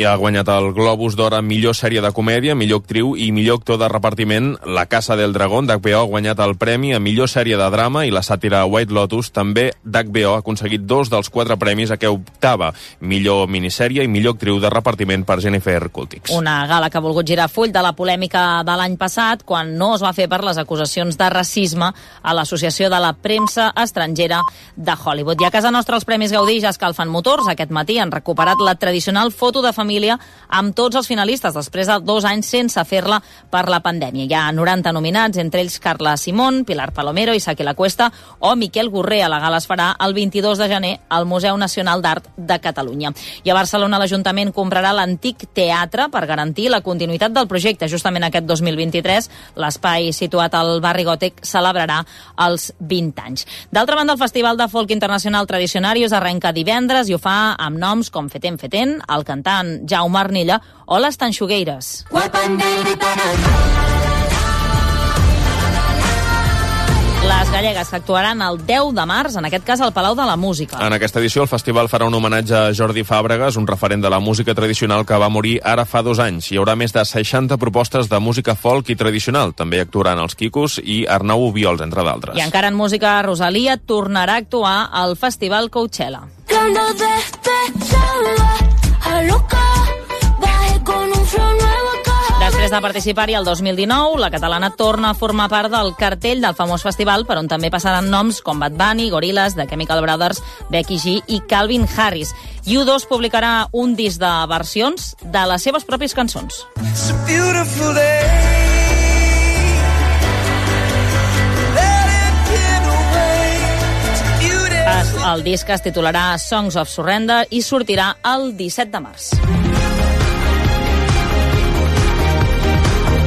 I ha guanyat el Globus d'Or a Millor Sèrie de Comèdia, Millor Actriu i Millor Actor de Repartiment. La Casa del Dragón, d'HBO, ha guanyat el Premi a Millor Sèrie de Drama, i la sàtira White Lotus, també d'HBO, ha aconseguit 2 dels 4 premis a què optava: millor minissèrie i millor actriu de repartiment per Jennifer Coolidge. Una gala que ha volgut girar full de la polèmica de l'any passat, quan no es va fer per les acusacions de racisme a l'Associació de la Premsa Estrangera de Hollywood. I a casa nostra els Premis Gaudí ja escalfen motors. Aquest matí han recuperat la tradicional foto de família amb tots els finalistes, després de 2 anys sense fer-la per la pandèmia. Hi ha 90 nominats, entre ells Carla Simón, Pilar Palomero, Isaki La Cuesta o Miquel Gurrer. A la gala es farà el 22 de gener al Museu Nacional d'Art de Catalunya. I a Barcelona l'Ajuntament comprarà l'antic teatre per garantir la continuïtat del projecte. Justament aquest 2023 l'espai situat al barri Gòtic celebrarà els 20 anys. D'altra banda, el Festival de Folk Internacional Tradicionarius arrenca divendres i ho fa amb noms com Feten Feten, el cantant Jaume Arnilla o les Tanxugueires. Les gallegues que actuaran el 10 de març, en aquest cas al Palau de la Música. En aquesta edició el festival farà un homenatge a Jordi Fàbregas, un referent de la música tradicional que va morir ara fa 2 anys. Hi haurà més de 60 propostes de música folk i tradicional. També actuaran els Quicos i Arnau Obiols, entre d'altres. I encara en música, Rosalia tornarà a actuar al Festival Coachella. Després de participar-hi el 2019, la catalana torna a formar part del cartell del famós festival, per on també passaran noms com Bad Bunny, Gorillaz, The Chemical Brothers, Becky G i Calvin Harris. I U2 publicarà un disc de versions de les seves pròpies cançons. El disc es titularà Songs of Surrender i sortirà el 17 de març.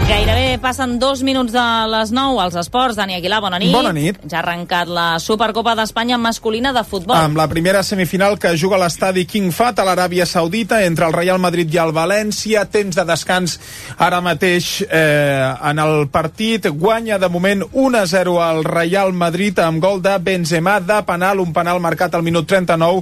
Gairebé passen 2 minuts de les 9 als esports. Dani Aguilar, bona nit. Bona nit. Ja ha arrencat la Supercopa d'Espanya masculina de futbol. Amb la primera semifinal que juga a l'estadi King Fahd a l'Aràbia Saudita entre el Real Madrid i el València. Temps de descans ara mateix en el partit. Guanya de moment 1-0 al Real Madrid amb gol de Benzema de penal, un penal marcat al minut 39.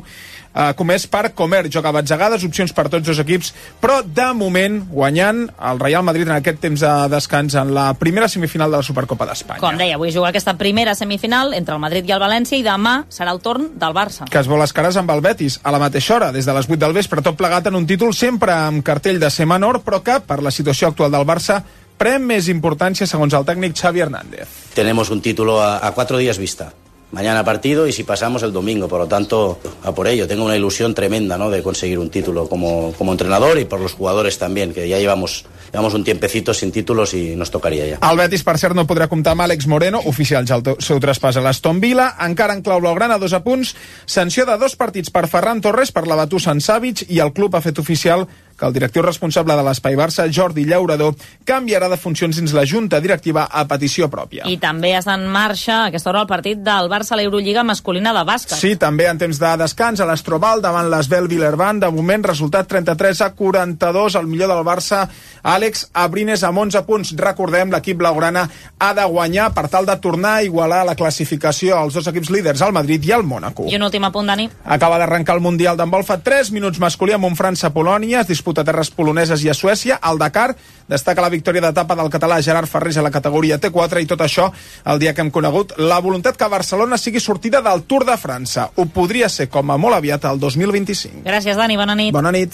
Comès per Comer, joc a batzegades, opcions per tots 2 equips, però de moment guanyant el Real Madrid en aquest temps de descans en la primera semifinal de la Supercopa d'Espanya. Com deia, avui juga aquesta primera semifinal entre el Madrid i el València, i demà serà el torn del Barça, que es vol les cares amb el Betis a la mateixa hora, des de les 8 del vespre, tot plegat en un títol sempre amb cartell de ser menor, però que per la situació actual del Barça pren més importància segons el tècnic Xavi Hernández. Tenemos un título a 4 días vista. Mañana partido y si pasamos el domingo, por lo tanto, a por ello. Tengo una ilusión tremenda, ¿no?, de conseguir un título como entrenador y por los jugadores también, que ya llevamos un tiempecito sin títulos y nos tocaria ja. El Betis, per cert, no podrà comptar amb Àlex Moreno, oficial ja el seu traspàs a l'Aston Villa. Encara en clau blaugrana, 2 apunts. Sanció de 2 partits per Ferran Torres per la batussa en Savic, i el club ha fet oficial que el directiu responsable de l'Espai Barça, Jordi Llaurador, canviarà de funcions dins la Junta Directiva a petició pròpia. I també està en marxa a aquesta hora el partit del Barça a l'Eurolliga masculina de bàsquet. Sí, també en temps de descans a l'Astroval davant l'Esbel Villerban. De moment, resultat 33-42. El millor del Barça, Àlex Abrines, amb 11 punts. Recordem, l'equip blaugrana ha de guanyar per tal de tornar a igualar la classificació als dos equips líders, al Madrid i al Mònaco. I un últim apunt, Dani. Acaba d'arrencar el Mundial d'handbol fa 3 minuts masculí amb un França-Polònia. Es disputa a terres poloneses i a Suècia. Al Dakar destaca la victòria d'etapa del català Gerard Ferrés a la categoria T4, i tot això el dia que hem conegut la voluntat que Barcelona sigui sortida del Tour de França. Ho podria ser com a molt aviat al 2025. Gràcies, Dani. Bona nit. Bona nit.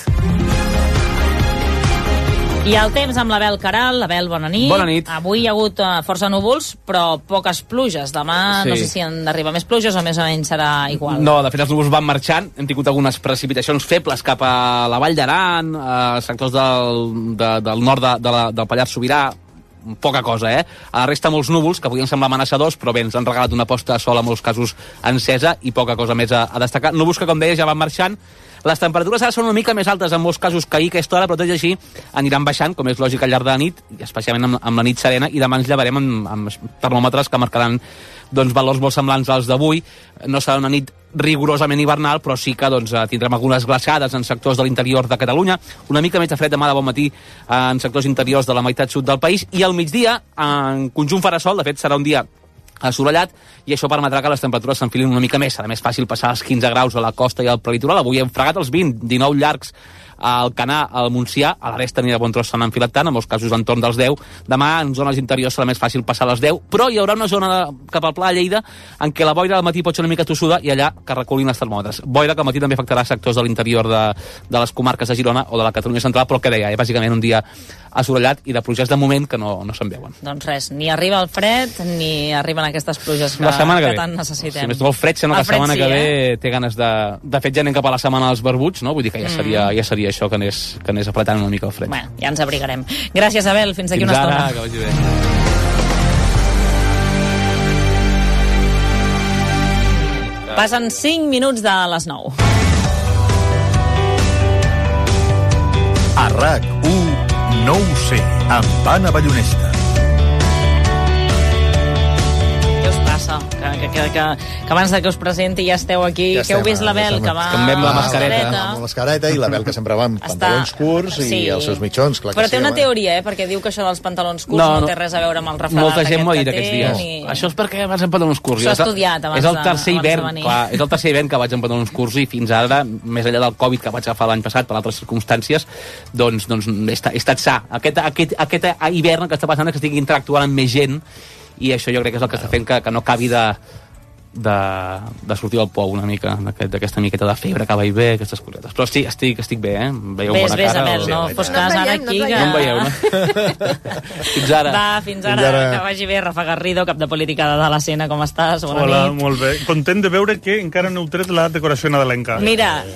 I el temps amb l'Abel Caral. Abel, bona nit. Bona nit. Avui hi ha hagut força núvols, però poques pluges. Demà Sí. no sé si han d'arribar més pluges o més o menys serà igual. No, de fet els núvols van marxant, hem tingut algunes precipitacions febles cap a la Vall d'Aran, sectors del nord del Pallars Sobirà, poca cosa, A la resta molts núvols que podien semblar amenaçadors, però bé, ens han regalat una posta de sol en molts casos encesa i poca cosa més a destacar. Núvols que, com deia, ja van marxant. Les temperatures ara són una mica més altes en molts casos que ahir a aquesta hora, però tot i així aniran baixant, com és lògic al llarg de la nit, i especialment amb la nit serena, i demà ens llevarem amb termòmetres que marcaran valors molt semblants als d'avui. No serà una nit rigorosament hivernal, però sí que tindrem algunes glaçades en sectors de l'interior de Catalunya, una mica més de fred demà de bon matí en sectors interiors de la meitat sud del país, i al migdia, en conjunt farà sol. De fet serà un dia assolellat, i això permetrà que les temperatures s'enfilin una mica més. Serà més fàcil passar els 15 graus a la costa i al prelitoral. Avui hem fregat els 20, 19 llargs al Canà, al Montsià, a la resta ni de bon tros s'han enfilat tant, en molts casos entorn dels 10. Demà en zones interiors serà més fàcil passar les 10, però hi haurà una zona cap al Pla de Lleida en què la boira al matí pot ser una mica tossuda, i allà que reculin els termòmetres. Boira que al matí també afectarà sectors de l'interior de les comarques de Girona o de la Catalunya central, però que deia, bàsicament un dia assolellat i de pluges de moment que no se'n veuen. Doncs res, ni arriba el fred ni arriben aquestes pluges que tant necessitem. Si més tot el fred, sembla que la setmana que ve té ganes de fet ja anem cap a la setmana dels barbuts, no? Vull dir que ja seria això que anés apretant una mica el fred. Bueno, ja ens abrigarem. Gràcies, Abel, fins d'aquí una estona. Fins ara, que vagi bé. Passen 5 minuts de les 9. A RAC1, no ho sé, amb Anna Ballonesta. Què us passa? Que abans que us presenti ja esteu aquí, que heu vist l'Abel, que va amb la mascareta. Amb la mascareta, i l'Abel que sempre va amb pantalons curts i els seus mitjons. Clar, però té una teoria, perquè diu que això dels pantalons curts no té res a veure amb el refredat molta gent m'ho ha dit aquests dies. Ni... Això és perquè vas amb pantalons curts. S'ho ha estudiat abans és el tercer hivern, venir. clar, és el tercer hivern que vaig amb pantalons curts, i fins ara, més enllà del Covid que vaig agafar l'any passat per altres circumstàncies, doncs he estat sa. Aquest hivern que està passant és que estic interactuant amb més gent, i això jo crec que és el que està fent que no acabi de sortir del pou una mica, d'aquesta miqueta de febre que vaig bé, aquestes cosetes. Però sí, estic bé, Veieu bona cara? Ves, Abel, no fos cas ara aquí que... No em veieu, no? Fins ara. Va, fins ara. Que vagi bé. Rafa Garrido, cap de política de l'Escena, com estàs? Bona nit. Hola, molt bé. Content de veure que encara no heu tret la decoració nadalenca. Mira,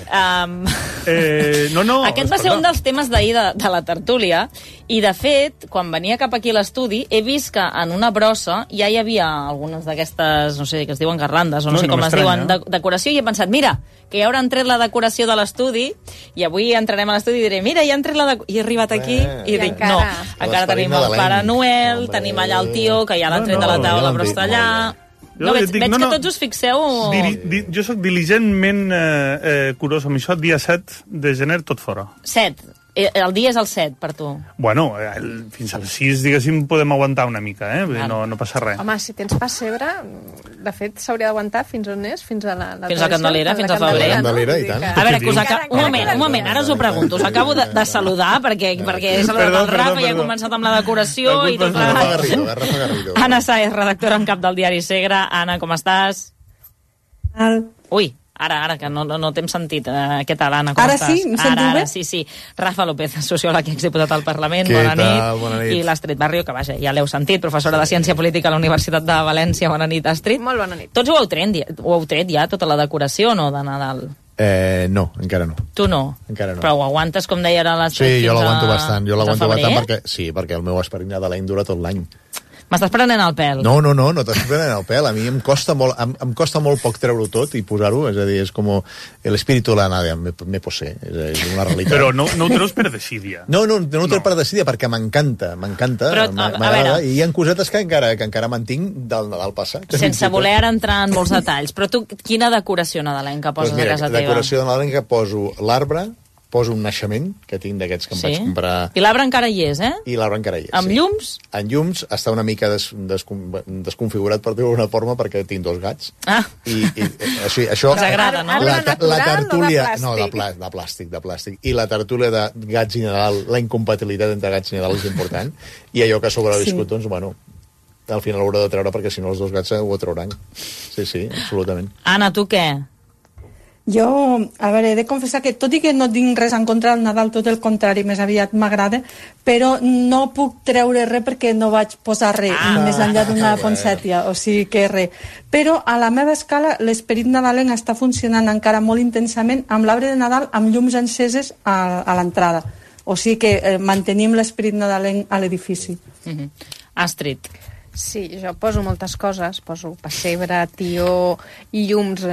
aquest va ser un dels temes d'ahir de la tertúlia, i de fet, quan venia cap aquí a l'estudi, he vist que en una brossa ja hi havia algunes d'aquestes, no sé, que es diuen garlandes, o no sé com es diuen, decoració, i he pensat, mira, que ja hauran tret la decoració de l'estudi, i avui entrarem a l'estudi i diré, mira, ja han tret la decoració, i he arribat aquí i dic, no, encara tenim el Pare Noel, tenim allà el tio, que ja l'ha tret de la taula, però està allà... No, veig que tots us fixeu... Jo sóc diligentment curós amb això. Dia 7 de gener, tot fora. 7. El dia és el 7, per tu. Bueno, fins al 6, diguéssim, podem aguantar una mica, no passa res. Home, si tens pessebre, de fet, s'hauria d'aguantar fins on és? Fins a la fins a Candelera, fins a febrer. A veure, un moment, ara us ho pregunto. Us acabo de saludar, perquè he saludat el Rafa i he començat amb la decoració i tot plegat. Anna Sáez, redactora en cap del diari Segre. Anna, com estàs? Ui, Ara, que no t'hem sentit. Què tal, Anna, com estàs? Ara sí? Em sentiu bé? Sí. Rafa López, sociòleg i exdiputat al Parlament. Bona nit. I l'Astrid Barrio, que vaja, ja l'heu sentit, professora de Ciència Política a la Universitat de València. Bona nit, Astrid. Molt bona nit. Tots ho heu tret ja, tota la decoració, no, de Nadal? No, encara no. Tu no? Encara no. Però ho aguantes, com deia ara l'Astrid, sí, jo l'aguanto bastant. Perquè el meu esperit nadalenc dura tot l'any. M'estàs prenent el pèl. No t'estàs prenent el pèl. A mi em costa molt poc treure-ho tot i posar-ho, és a dir, és com l'espíritu de la nada, me posé, és una realitat. Però no ho treus per desídia. No ho treus per desídia, perquè m'encanta, m'agrada, i hi ha cosetes que encara mantinc del Nadal passat. Sense voler ara entrar en molts detalls, però tu quina decoració nadalenca poses a casa teva? Decoració nadalenca poso l'arbre, poso un naixement, que tinc d'aquests que em vaig comprar... I l'arbre encara hi és, I l'arbre encara hi és, Amb llums? En llums està una mica desconfigurat, per dir-ho d'alguna forma, perquè tinc 2 gats. I això... Us agrada, no? La tertúlia... No, de plàstic. I la tertúlia de gats i Nadal, la incompatibilitat entre gats i Nadal és important, i allò que ha sobreviscut, doncs, bueno, al final l'haurà de treure, perquè si no els 2 gats ho trauran. Sí, absolutament. Anna, tu què? Jo, a veure, he de confessar que tot i que no tinc res en contra del Nadal, tot el contrari, més aviat m'agrada, però no puc treure res perquè no vaig posar res, més enllà d'una ponsètia, o sigui que res. Però a la meva escala l'esperit nadalenc està funcionant encara molt intensament amb l'arbre de Nadal amb llums enceses a l'entrada. O sigui que mantenim l'esperit nadalenc a l'edifici. Astrid. Sí, jo poso moltes coses, poso pessebre, tió i llums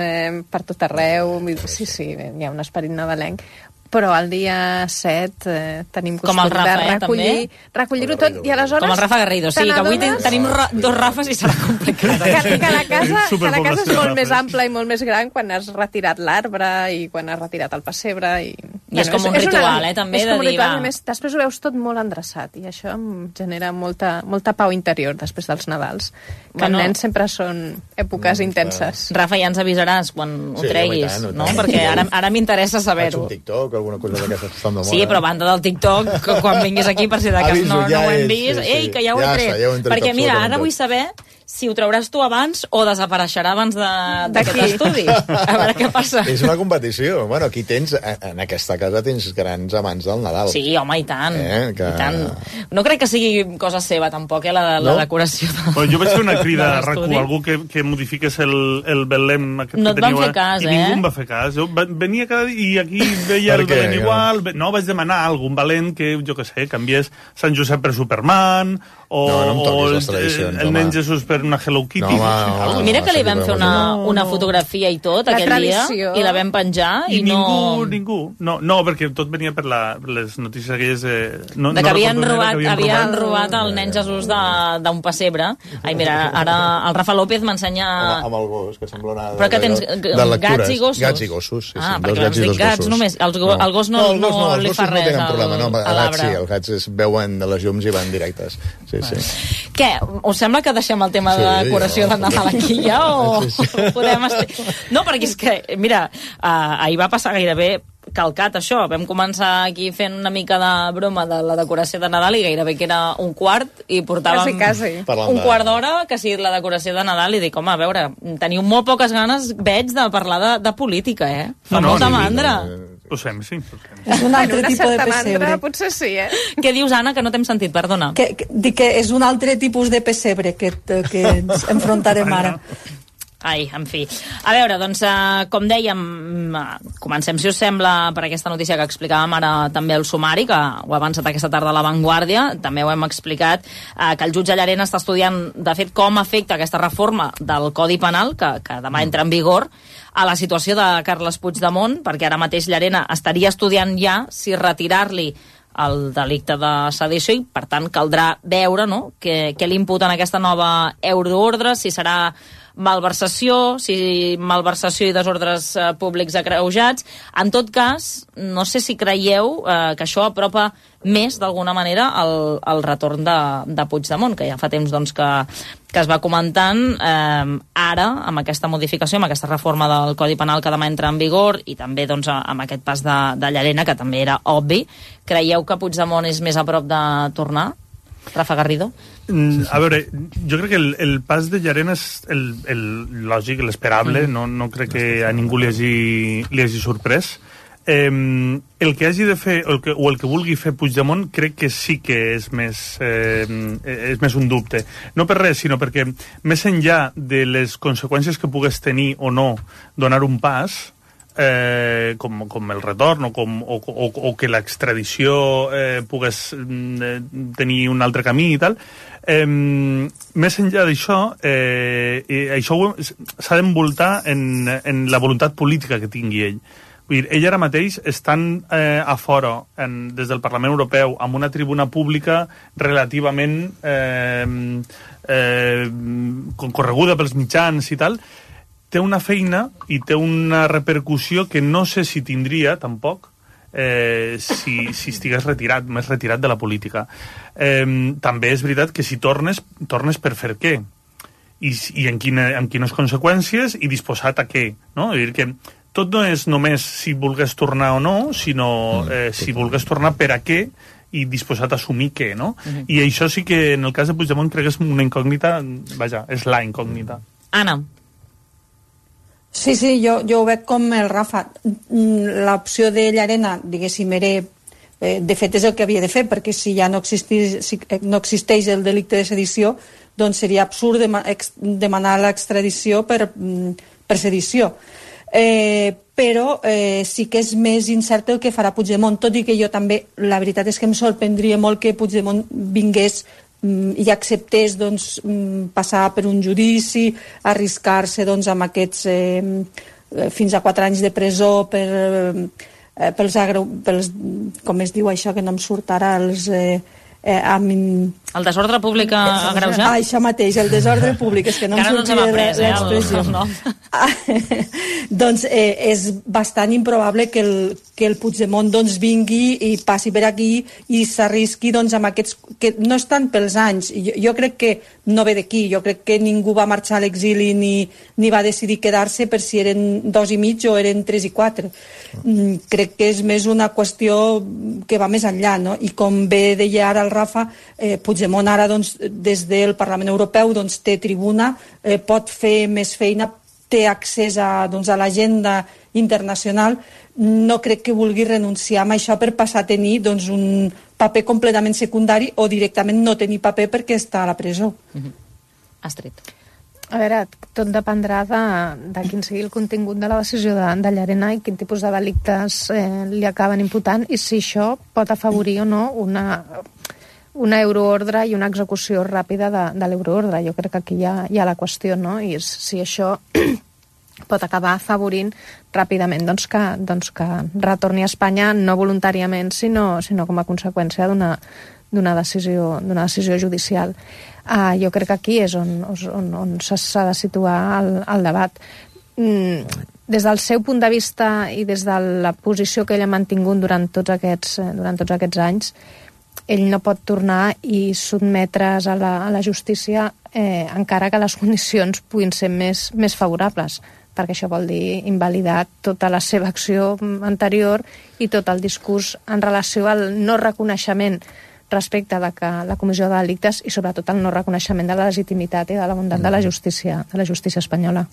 per tot arreu, sí, hi ha un esperit nadalenc, però el dia 7 tenim costum de recollir-ho tot, i aleshores... Com el Rafa Garrido, sí, que avui tenim 2 Rafes i serà complicat. Que la casa és molt més ampla i molt més gran quan has retirat l'arbre i quan has retirat el pessebre. I és com un ritual, també, de dir, va... Després ho veus tot molt endreçat i això em genera molta pau interior després dels Nadals, que els nens sempre són èpoques intenses. Rafa, ja ens avisaràs quan ho treguis, no? Perquè ara m'interessa saber-ho. Faig un TikTok, alguna cosa d'aquestes que estan de moda. Sí, però a banda del TikTok, quan vinguis aquí, per si de cas no ho hem vist, ei, que ja ho he tret. Perquè mira, ara vull saber si ho trauràs tu abans o desapareixerà abans d'aquest estudi. A veure què passa. És una competició. Bueno, aquí tens, en aquesta casa tens grans amants del Nadal. Sí, home, i tant. I tant. No crec que sigui cosa seva, tampoc, la decoració. Jo vaig fer una crida a RAC1, algú que modifiqués el Belém aquest que teniu. No et van fer cas, i ningú em va fer cas. Jo venia cada dia i aquí veia el Belém igual. No, vaig demanar a algun valent que, jo què sé, canviés Sant Josep per Superman o el nen Jesús per una Hello Kitty. Mira que li vam fer una fotografia i tot aquell dia i la vam penjar i ningú. No, perquè tot venia per les notícies aquelles de que havien robat el nen Jesús d'un pessebre. Ai, mira, ara el Rafa López m'ensenya... Amb el gos, que sembla una... Però que tens gats i gossos? Gats i gossos, sí. Perquè doncs dic gats només. El gos no li fa res a l'arbre. Sí, els gats es veuen de les llums i van directes. Sí. Què? Us sembla que deixem el tema de decoració de Nadal aquí ja o podem... No, perquè és que, mira, ahir va passar gairebé calcat això. Vam començar aquí fent una mica de broma de la decoració de Nadal i gairebé que era un quart i portàvem un quart d'hora que sigui la decoració de Nadal i dic, home, a veure, teniu molt poques ganes, veig, de parlar de política, Fa molta mandra. Ho fem, sí. És un altre tipus de pessebre. Potser sí, Què dius, Anna, que no t'hem sentit? Perdona. Dic que és un altre tipus de pessebre que ens enfrontarem ara. Ai, en fi. A veure, doncs, com dèiem, comencem, si us sembla, per aquesta notícia que explicàvem ara també el sumari, que ho ha avançat aquesta tarda a La Vanguardia. També ho hem explicat, que el jutge Llarena està estudiant, de fet, com afecta aquesta reforma del Codi Penal, que demà entra en vigor, a la situació de Carles Puigdemont, perquè ara mateix Llarena estaria estudiant ja si retirar-li el delicte de sedició i, per tant, caldrà veure què li imputen aquesta nova euroordre, si serà malversació, si malversació i desordres públics agreujats. En tot cas, no sé si creieu que això apropa més, d'alguna manera, el retorn de Puigdemont, que ja fa temps doncs, que es va comentant. Ara, amb aquesta modificació, amb aquesta reforma del Codi Penal que demà entra en vigor, i també doncs, amb aquest pas de Llarena, que també era obvi, creieu que Puigdemont és més a prop de tornar? Rafa Garrido? A veure, jo crec que el pas de Llarena és el lògic, l'esperable, no crec que a ningú li hagi sorprès. El que hagi de fer, o el que vulgui fer Puigdemont, crec que sí que és més un dubte. No per res, sinó perquè més enllà de les conseqüències que pogués tenir o no donar un pas, com el retorn o que l'extradició pogués tenir un altre camí i tal. Més enllà d'això, això s'ha d'envoltar en la voluntat política que tingui ell. Vull dir, ell ara mateix estan a fora, des del Parlament Europeu, amb una tribuna pública relativament concorreguda pels mitjans i tal, té una feina i té una repercussió que no sé si tindria, tampoc, si estigués més retirat de la política. També és veritat que si tornes per fer què? I amb quines conseqüències i disposat a què? No? És a dir, que tot no és només si volgués tornar o no, sinó si volgués tornar per a què i disposat a assumir què, no? I això sí que en el cas de Puigdemont crec que és una incògnita, vaja, és la incògnita. Anna. Sí, jo ho veig com el Rafa. L'opció de Llarena, diguéssim, de fet és el que havia de fer, perquè si ja no existeix el delicte de sedició, doncs seria absurd demanar l'extradició per sedició. Però sí que és més incert el que farà Puigdemont, tot i que jo també, la veritat és que em sorprendria molt que Puigdemont vingués i acceptés passar per un judici, arriscar-se amb aquests fins a 4 anys de presó pels com es diu això, que no em surt ara, el desordre públic agreujat? Això mateix, el desordre públic, és que no em sortia l'expressió. Doncs és bastant improbable que el Puigdemont vingui i passi per aquí i s'arrisqui amb aquests, que no estan pels anys. Jo crec que no ve d'aquí, jo crec que ningú va marxar a l'exili ni va decidir quedar-se per si eren 2 i mig o eren 3 i 4. Crec que és més una qüestió que va més enllà, no? I com bé deia ara el Rafa, Puigdemont ara des del Parlament Europeu té tribuna, pot fer més feina, té accés a l'agenda internacional. No crec que vulgui renunciar a això per passar a tenir un paper completament secundari o directament no tenir paper perquè està a la presó. Astrid. A veure, tot dependrà de quin sigui el contingut de la decisió de Llarena i quin tipus de delictes li acaben imputant i si això pot afavorir o no una euroordre i una execució ràpida de l'euroordre. Jo crec que aquí hi ha la qüestió, no? I si això pot acabar afavorint ràpidament que retorni a Espanya no voluntàriament, sinó com a conseqüència d'una decisió judicial. Jo crec que aquí és on s'ha de situar el debat. Des del seu punt de vista i des de la posició que ell ha mantingut durant tots aquests anys, ell no pot tornar i sotmetre's a la justícia encara que les condicions puguin ser més favorables, perquè això vol dir invalidar tota la seva acció anterior i tot el discurs en relació al no reconeixement respecte de que la comissió de delictes i sobretot el no reconeixement de la legitimitat i de la bondat de la justícia espanyola.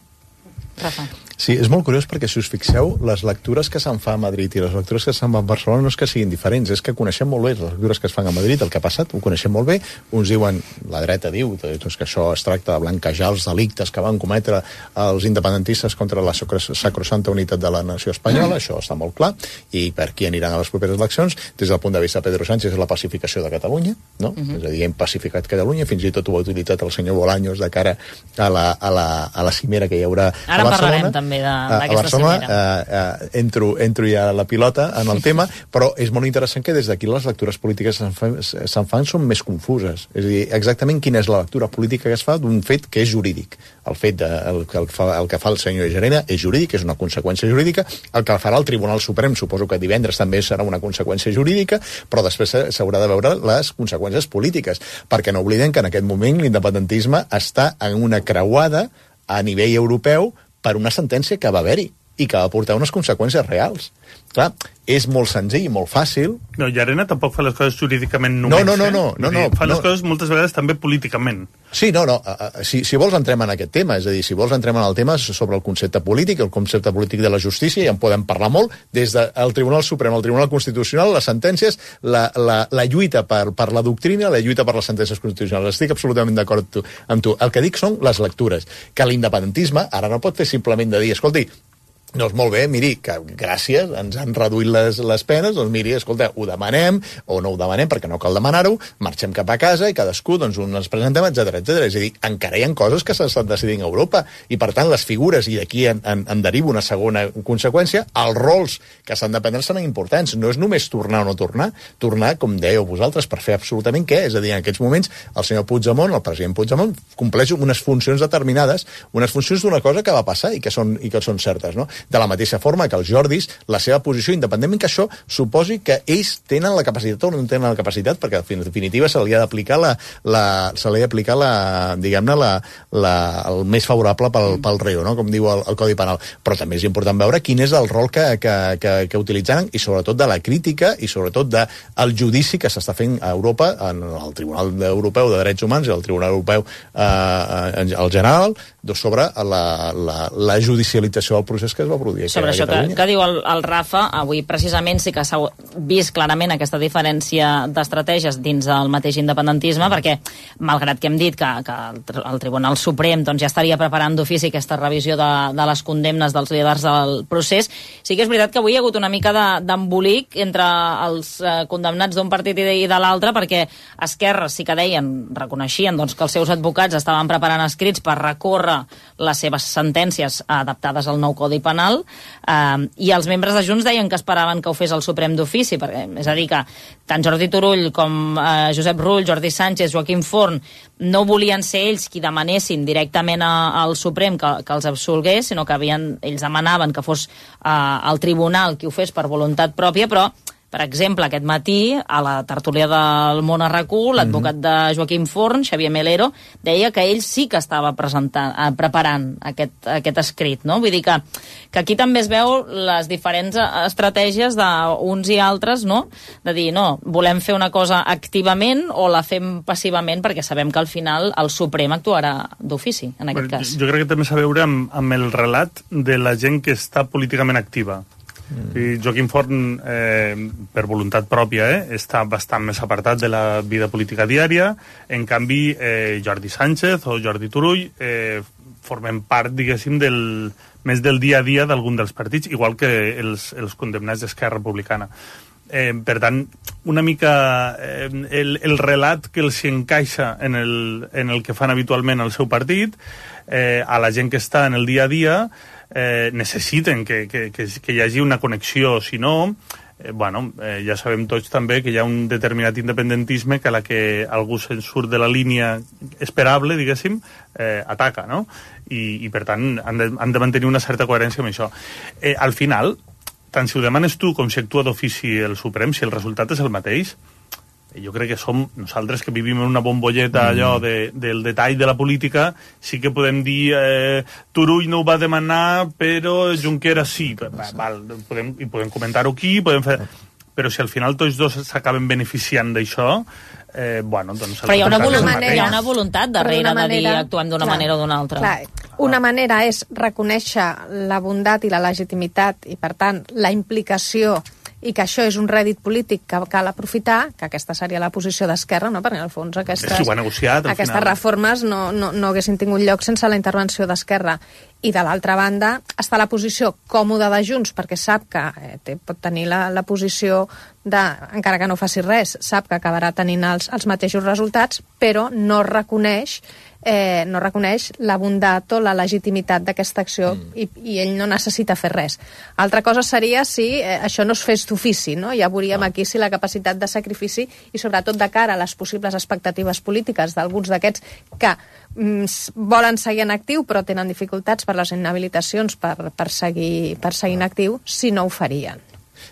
Rafa. Sí, és molt curiós perquè si us fixeu, les lectures que se'n fa a Madrid i les lectures que se'n fa a Barcelona no és que siguin diferents, és que coneixem molt bé les lectures que es fan a Madrid, el que ha passat, ho coneixem molt bé. Uns diuen, la dreta diu que això es tracta de blanquejar els delictes que van cometre els independentistes contra la sacrosanta unitat de la nació espanyola, això està molt clar, i per qui aniran a les properes eleccions. Des del punt de vista de Pedro Sánchez és la pacificació de Catalunya, no? És a dir, hem pacificat Catalunya, fins i tot ho ha utilitzat el senyor Bolaños de cara a la cimera que hi haurà a Barcelona. Parlarem també d'aquesta cimera. Entro ja a la pilota en el tema, però és molt interessant que des d'aquí les lectures polítiques se'n fan són més confuses. És a dir, exactament quina és la lectura política que es fa d'un fet que és jurídic. El que fa el senyor Llarena és jurídic, és una conseqüència jurídica. El que farà el Tribunal Suprem, suposo que divendres també serà una conseqüència jurídica, però després s'haurà de veure les conseqüències polítiques, perquè no oblidem que en aquest moment l'independentisme està en una creuada a nivell europeu per una sentència que va haver-hi i que va portar unes conseqüències reals. Clar, és molt senzill i molt fàcil. No, Llarena tampoc fa les coses jurídicament només. No. Fa les coses moltes vegades també políticament. Sí, si vols entrem en aquest tema, és a dir, si vols entrem en el tema sobre el concepte polític, el concepte polític de la justícia, i en podem parlar molt, des del Tribunal Suprem, el Tribunal Constitucional, les sentències, la lluita per la doctrina, la lluita per les sentències constitucionals. Estic absolutament d'acord amb tu. El que dic són les lectures, que l'independentisme ara no pot fer simplement de dir, escolti, Doncs molt bé, miri, que gràcies, ens han reduït les penes, doncs miri, escolta, ho demanem o no ho demanem perquè no cal demanar-ho, marxem cap a casa i cadascú doncs ens presentem, etc. És a dir, encara hi ha coses que s'estan decidint a Europa i per tant les figures, i d'aquí en deriva una segona conseqüència, els rols que s'han de prendre seran importants. No és només tornar o no tornar, com dèieu vosaltres, per fer absolutament què? És a dir, en aquests moments el senyor Puigdemont, el president Puigdemont, compleix unes funcions determinades, unes funcions d'una cosa que va passar i que són certes, no? De la mateixa forma que els Jordis, la seva posició, independentment que això suposi que ells tenen la capacitat o no tenen la capacitat, perquè en definitiva se li ha d'aplicar el més favorable pel reo, no? Com diu el Codi Penal. Però també és important veure quin és el rol que utilitzaran i sobretot de la crítica i sobretot del judici que s'està fent a Europa, en el Tribunal Europeu de Drets Humans i el Tribunal Europeu en general, sobre la judicialització del procés que es va produir sobre això que diu el Rafa, avui precisament sí que s'ha vist clarament aquesta diferència d'estratègies dins del mateix independentisme, perquè malgrat que hem dit que el Tribunal Suprem doncs, ja estaria preparant d'ofici aquesta revisió de les condemnes dels líders del procés, sí que és veritat que avui hi ha hagut una mica d'embolic entre els condemnats d'un partit i de l'altre, perquè Esquerra sí que reconeixien doncs, que els seus advocats estaven preparant escrits per recórrer les seves sentències adaptades al nou Codi Penal, i els membres de Junts deien que esperaven que ho fes el Suprem d'ofici, perquè, és a dir, que tant Jordi Turull com Josep Rull, Jordi Sánchez, Joaquim Forn no volien ser ells qui demanessin directament al Suprem que els absolgués, sinó que ells demanaven que fos el tribunal qui ho fes per voluntat pròpia, però per exemple, aquest matí, a la tertúlia del Món a RAC1, l'advocat de Joaquim Forn, Xavier Melero, deia que ell sí que estava preparant aquest escrit, no? Vull dir que aquí també es veu les diferents estratègies d'uns i altres, no? De dir, no, volem fer una cosa activament o la fem passivament, perquè sabem que al final el Suprem actuarà d'ofici, en aquest cas. Jo crec que també s'ha a veure amb el relat de la gent que està políticament activa. I Joaquim Forn, per voluntat pròpia, està bastant més apartat de la vida política diària. En canvi, Jordi Sánchez o Jordi Turull formen part, diguéssim, més del dia a dia d'algun dels partits, igual que els condemnats d'Esquerra Republicana. Per tant, una mica el relat que els encaixa en el que fan habitualment al seu partit, a la gent que està en el dia a dia, necessiten que hi hagi una connexió, si no, ja sabem tots també que hi ha un determinat independentisme que a la que algú se'n surt de la línia esperable, diguéssim, ataca, no? I per tant han de mantenir una certa coherència amb això. Al final, tant si ho demanes tu com si actua d'ofici el Suprem, si el resultat és el mateix, jo crec que som nosaltres que vivim en una bombolleta allò del detall de la política, sí que podem dir Turull no ho va demanar però Junqueras sí, podem comentar-ho aquí, però si al final tots dos s'acaben beneficiant d'això, doncs... Però hi ha una voluntat darrere de dir actuem d'una manera o d'una altra. Una manera és reconèixer la bondat i la legitimitat i per tant la implicació i que això és un rèdit polític que cal aprofitar, que aquesta seria la posició d'Esquerra, no? Perquè en el fons aquestes reformes no haguessin tingut lloc sense la intervenció d'Esquerra. I de l'altra banda està la posició còmoda de Junts, perquè sap que pot tenir la posició encara que no faci res, sap que acabarà tenint els mateixos resultats, però no reconeix la bondat o la legitimitat d'aquesta acció i ell no necessita fer res. Altra cosa seria si això no es fes d'ofici, no? Ja veuríem aquí si la capacitat de sacrifici i sobretot de cara a les possibles expectatives polítiques d'alguns d'aquests que volen seguir en actiu però tenen dificultats per les inhabilitacions per seguir en actiu, si no ho farien.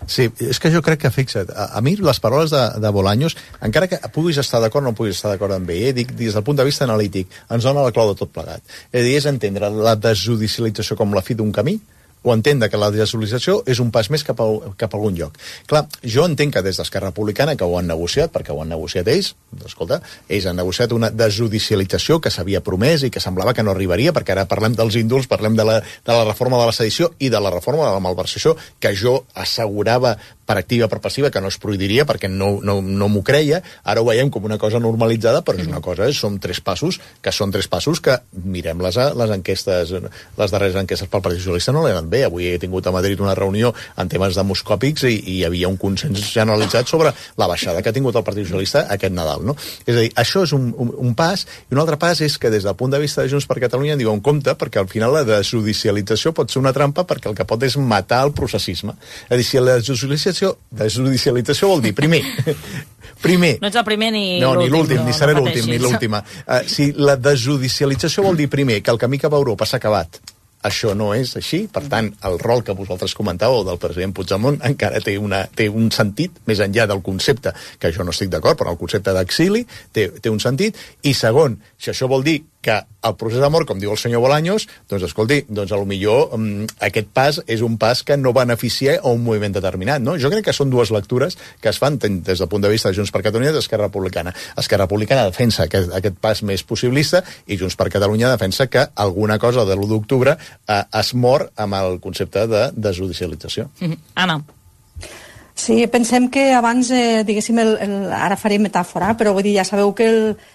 Sí, és que jo crec que, fixa't, a mi les paraules de Bolaños, encara que puguis estar d'acord o no puguis estar d'acord amb ell, dic, des del punt de vista analític, ens dona la clau de tot plegat. És a dir, és entendre la desjudicialització com la fi d'un camí, o entendre que la desjudicialització és un pas més cap a algun lloc. Clar, jo entenc que des d'Esquerra Republicana, que ho han negociat, perquè ho han negociat ells, escolta, ells han negociat una desjudicialització que s'havia promès i que semblava que no arribaria, perquè ara parlem dels indults, parlem de la reforma de la sedició i de la reforma de la malversació, que jo assegurava per activa, per passiva, que no es prohibiria perquè no m'ho creia. Ara ho veiem com una cosa normalitzada, però és una cosa, són 3 passos que mirem les enquestes, les darreres enquestes pel Partit Socialista no l'han anat bé. Avui he tingut a Madrid una reunió en temes demoscòpics i hi havia un consens generalitzat sobre la baixada que ha tingut el Partit Socialista aquest Nadal, no? És a dir, això és un pas, i un altre pas és que des del punt de vista de Junts per Catalunya en diuen compte, perquè al final la desjudicialització pot ser una trampa perquè el que pot és matar el processisme. És a dir, si la desjudicialització vol dir, primer, no ets el primer ni l'últim. No, ni l'últim, ni seré no l'últim, ni l'última. Si la desjudicialització vol dir, primer, que el camí cap a Europa s'ha acabat, això no és així, per tant, el rol que vosaltres comentàveu del president Puigdemont encara té un sentit, més enllà del concepte, que jo no estic d'acord, però el concepte d'exili té un sentit, i segon, si això vol dir que el procés d'amor, com diu el senyor Bolaños, doncs escolti, doncs a lo millor aquest pas és un pas que no beneficia a un moviment determinat, no? Jo crec que són 2 lectures que es fan des del punt de vista de Junts per Catalunya i d'Esquerra Republicana. Esquerra Republicana defensa aquest pas més possibilista i Junts per Catalunya defensa que alguna cosa de l'1 d'octubre es mor amb el concepte de desjudicialització. Anna. Sí, pensem que abans, diguéssim, ara faré metàfora, però vull dir, ja sabeu que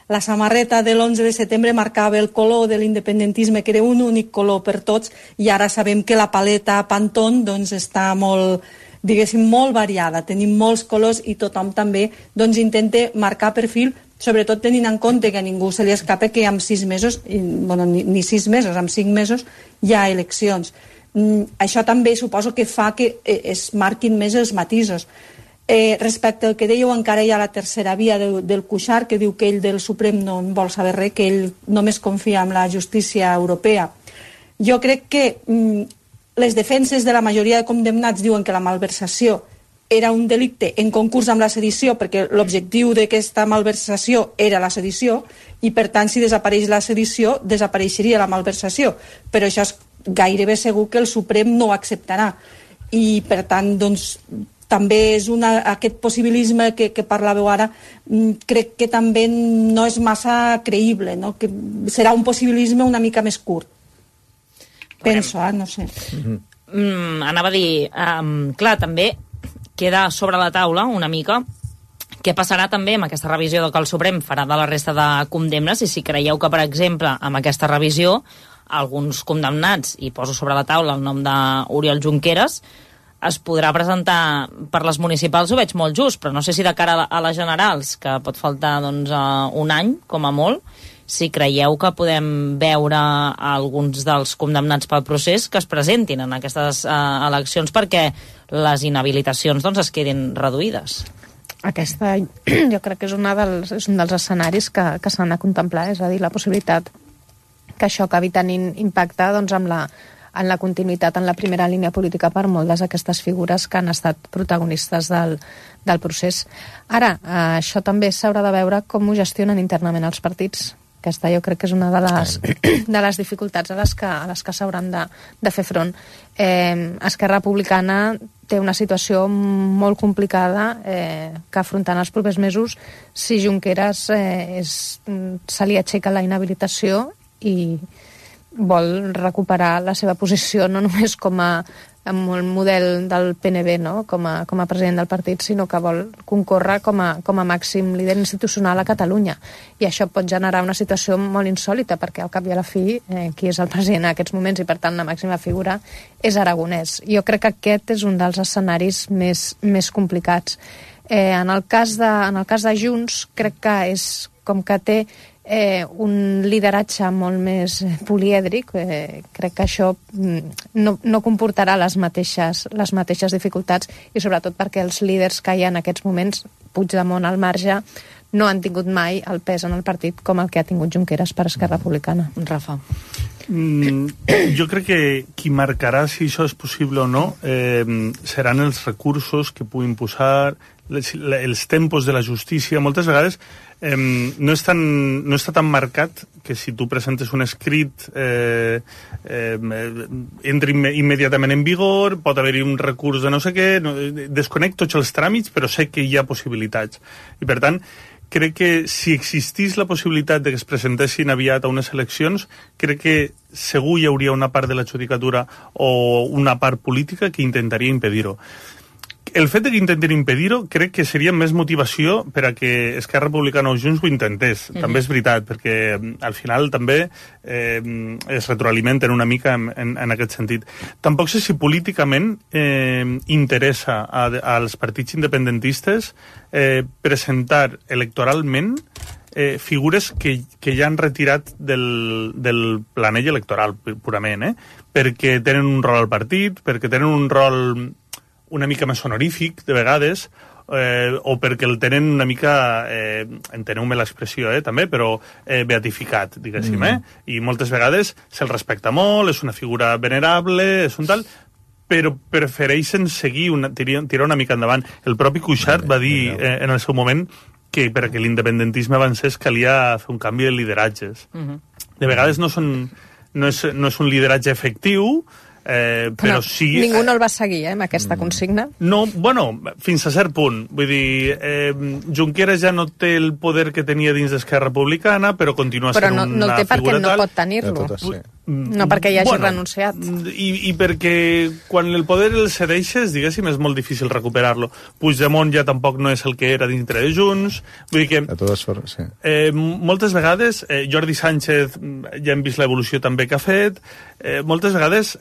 la samarreta de l'11 de setembre marcava el color de l'independentisme, que era un únic color per tots, i ara sabem que la paleta Pantone doncs, està molt, diguéssim, molt variada. Tenim molts colors i tothom també doncs, intenta marcar perfil, sobretot tenint en compte que a ningú se li escapa que en 6 mesos, bueno, ni 6 mesos, en 5 mesos hi ha eleccions. Això també suposo que fa que es marquin més els matisos. Respecte al que dèieu, encara hi ha la tercera via del Cuixart, que diu que ell del Suprem no en vol saber res, que ell només confia en la justícia europea. Jo crec que les defenses de la majoria de condemnats diuen que la malversació era un delicte en concurs amb la sedició, perquè l'objectiu d'aquesta malversació era la sedició, i per tant, si desapareix la sedició, desapareixeria la malversació. Però això és gairebé segur que el Suprem no ho acceptarà. I, per tant, doncs, també és aquest possibilisme que parlàveu ara, crec que també no és massa creïble, no? Que serà un possibilisme una mica més curt. Penso, no sé. Anava a dir, clar, també queda sobre la taula una mica què passarà també amb aquesta revisió que el Suprem farà de la resta de condemnes, i si creieu que, per exemple, amb aquesta revisió alguns condemnats, i poso sobre la taula el nom d'Oriol Junqueras, es podrà presentar per les municipals, ho veig molt just, però no sé si de cara a les generals, que pot faltar doncs, un any, com a molt, si creieu que podem veure alguns dels condemnats pel procés que es presentin en aquestes eleccions perquè les inhabilitacions doncs, es quedin reduïdes. Aquesta jo crec que és un dels escenaris que s'han de contemplar, és a dir, la possibilitat que això acabi tenint impacte doncs, en la continuïtat en la primera línia política per moltes d'aquestes figures que han estat protagonistes del procés. Ara, això també s'haurà de veure com ho gestionen internament els partits. Aquesta jo crec que és una de les dificultats a les que s'hauran de fer front. Esquerra Republicana té una situació molt complicada que afrontant els propers mesos si Junqueras se li aixeca la inhabilitació i vol recuperar la seva posició no només com amb el model del PNB, no? com a president del partit, sinó que vol concórrer com a màxim líder institucional a Catalunya. I això pot generar una situació molt insòlita, perquè al cap i a la fi, qui és el president en aquests moments i, per tant, la màxima figura és Aragonès. Jo crec que aquest és un dels escenaris més complicats. En el cas de Junts, crec que és com que té un lideratge molt més polièdric. Crec que això no comportarà les mateixes dificultats, i sobretot perquè els líders que hi ha en aquests moments, Puigdemont al marge, no han tingut mai el pes en el partit com el que ha tingut Junqueras per Esquerra Republicana. Rafa. Jo crec que qui marcarà si això és possible o no seran els recursos que puguin posar, els tempos de la justícia. Moltes vegades no està tan marcat que si tu presentes un escrit entri immediatament en vigor, pot haver-hi un recurs de no sé què, desconec tots els tràmits, però sé que hi ha possibilitats. I per tant, crec que si existís la possibilitat de que es presentessin aviat a unes eleccions, crec que segur hi hauria una part de la judicatura o una part política que intentaria impedir-ho. el fet que intentin impedir-ho crec que seria més motivació per a que Esquerra Republicana o Junts ho intentés. També és veritat, perquè al final també es retroalimenten una mica en aquest sentit. Tampoc sé si políticament interessa als partits independentistes presentar electoralment figures que ja han retirat del planell electoral purament, perquè tenen un rol al partit, perquè tenen un rol una mica més honorífic de vegades, o perquè el tenen una mica, enteneu-me l'expressió també, però beatificat, diguéssim, i moltes vegades se'l respecta molt, és una figura venerable, és un tal, però prefereixen seguir, tirar una mica endavant. El propi Cuixart va dir en el seu moment que perquè l'independentisme avancés calia fer un canvi de lideratges. De vegades no és un lideratge efectiu, però sí... Ningú no el va seguir, amb aquesta consigna? No, bueno, fins a cert punt. Vull dir, Junqueras ja no té el poder que tenia dins d'Esquerra Republicana, però continua sent una figura tal. Però no el té perquè no pot tenir-lo. No perquè hi hagi renunciat. I perquè quan el poder el cedeixes, diguéssim, és molt difícil recuperar-lo. Puigdemont ja tampoc no és el que era dintre de Junts. Vull dir que... De totes formes, sí. Moltes vegades, Jordi Sánchez ja hem vist l'evolució també que ha fet, moltes vegades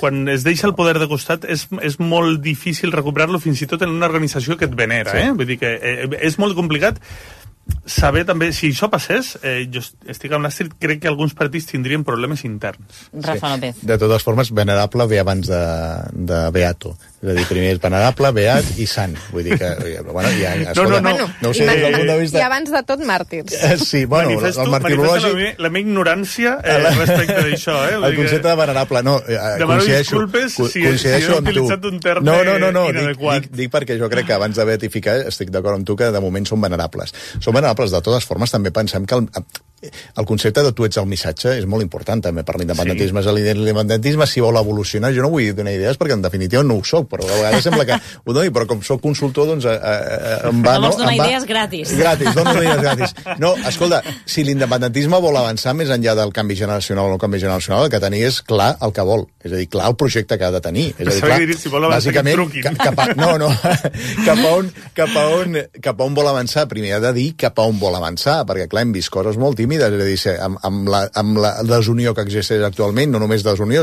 quan es deixa el poder de costat és molt difícil recuperar-lo fins i tot en una organització que et venera. Vull dir que és molt complicat saber també, si això passés, jo estic amb l'Astrid, crec que alguns partits tindrien problemes interns. Rafa López. De totes formes, venerable ve abans de beato. És a dir, primer és venerable, beat i sant. Vull dir que, bueno, ja... Escolta, no ho sé, des del punt de vista... I abans de tot, màrtirs. Sí, bueno, el martirològic... la meva ignorància respecte d'això, El concepte de venerable, no, demano disculpes si he utilitzat un terme inadequat. Dic perquè jo crec que abans de beatificar estic d'acord amb tu que de moment són venerables. Són venerables, de totes formes, també pensem que el concepte de tu ets el missatge és molt important també per l'independentisme. L'independentisme, si vol evolucionar, jo no vull donar idees perquè en definitiva no ho soc, però a vegades sembla que ho doni, però com soc consultor, doncs em va... No vols donar idees gratis. Gratis, dono idees gratis. No, escolta, si l'independentisme vol avançar més enllà del canvi generacional o no canvi generacional, el que tenir és clar el que vol. És a dir, clar el projecte que ha de tenir. És a dir, clar, si vol avançar, que truquin. Cap a on vol avançar? Primer ha de dir cap a on vol avançar, perquè clar, hem vist coses molt tímides, és a dir, amb la desunió que existeix actualment, no només desunió,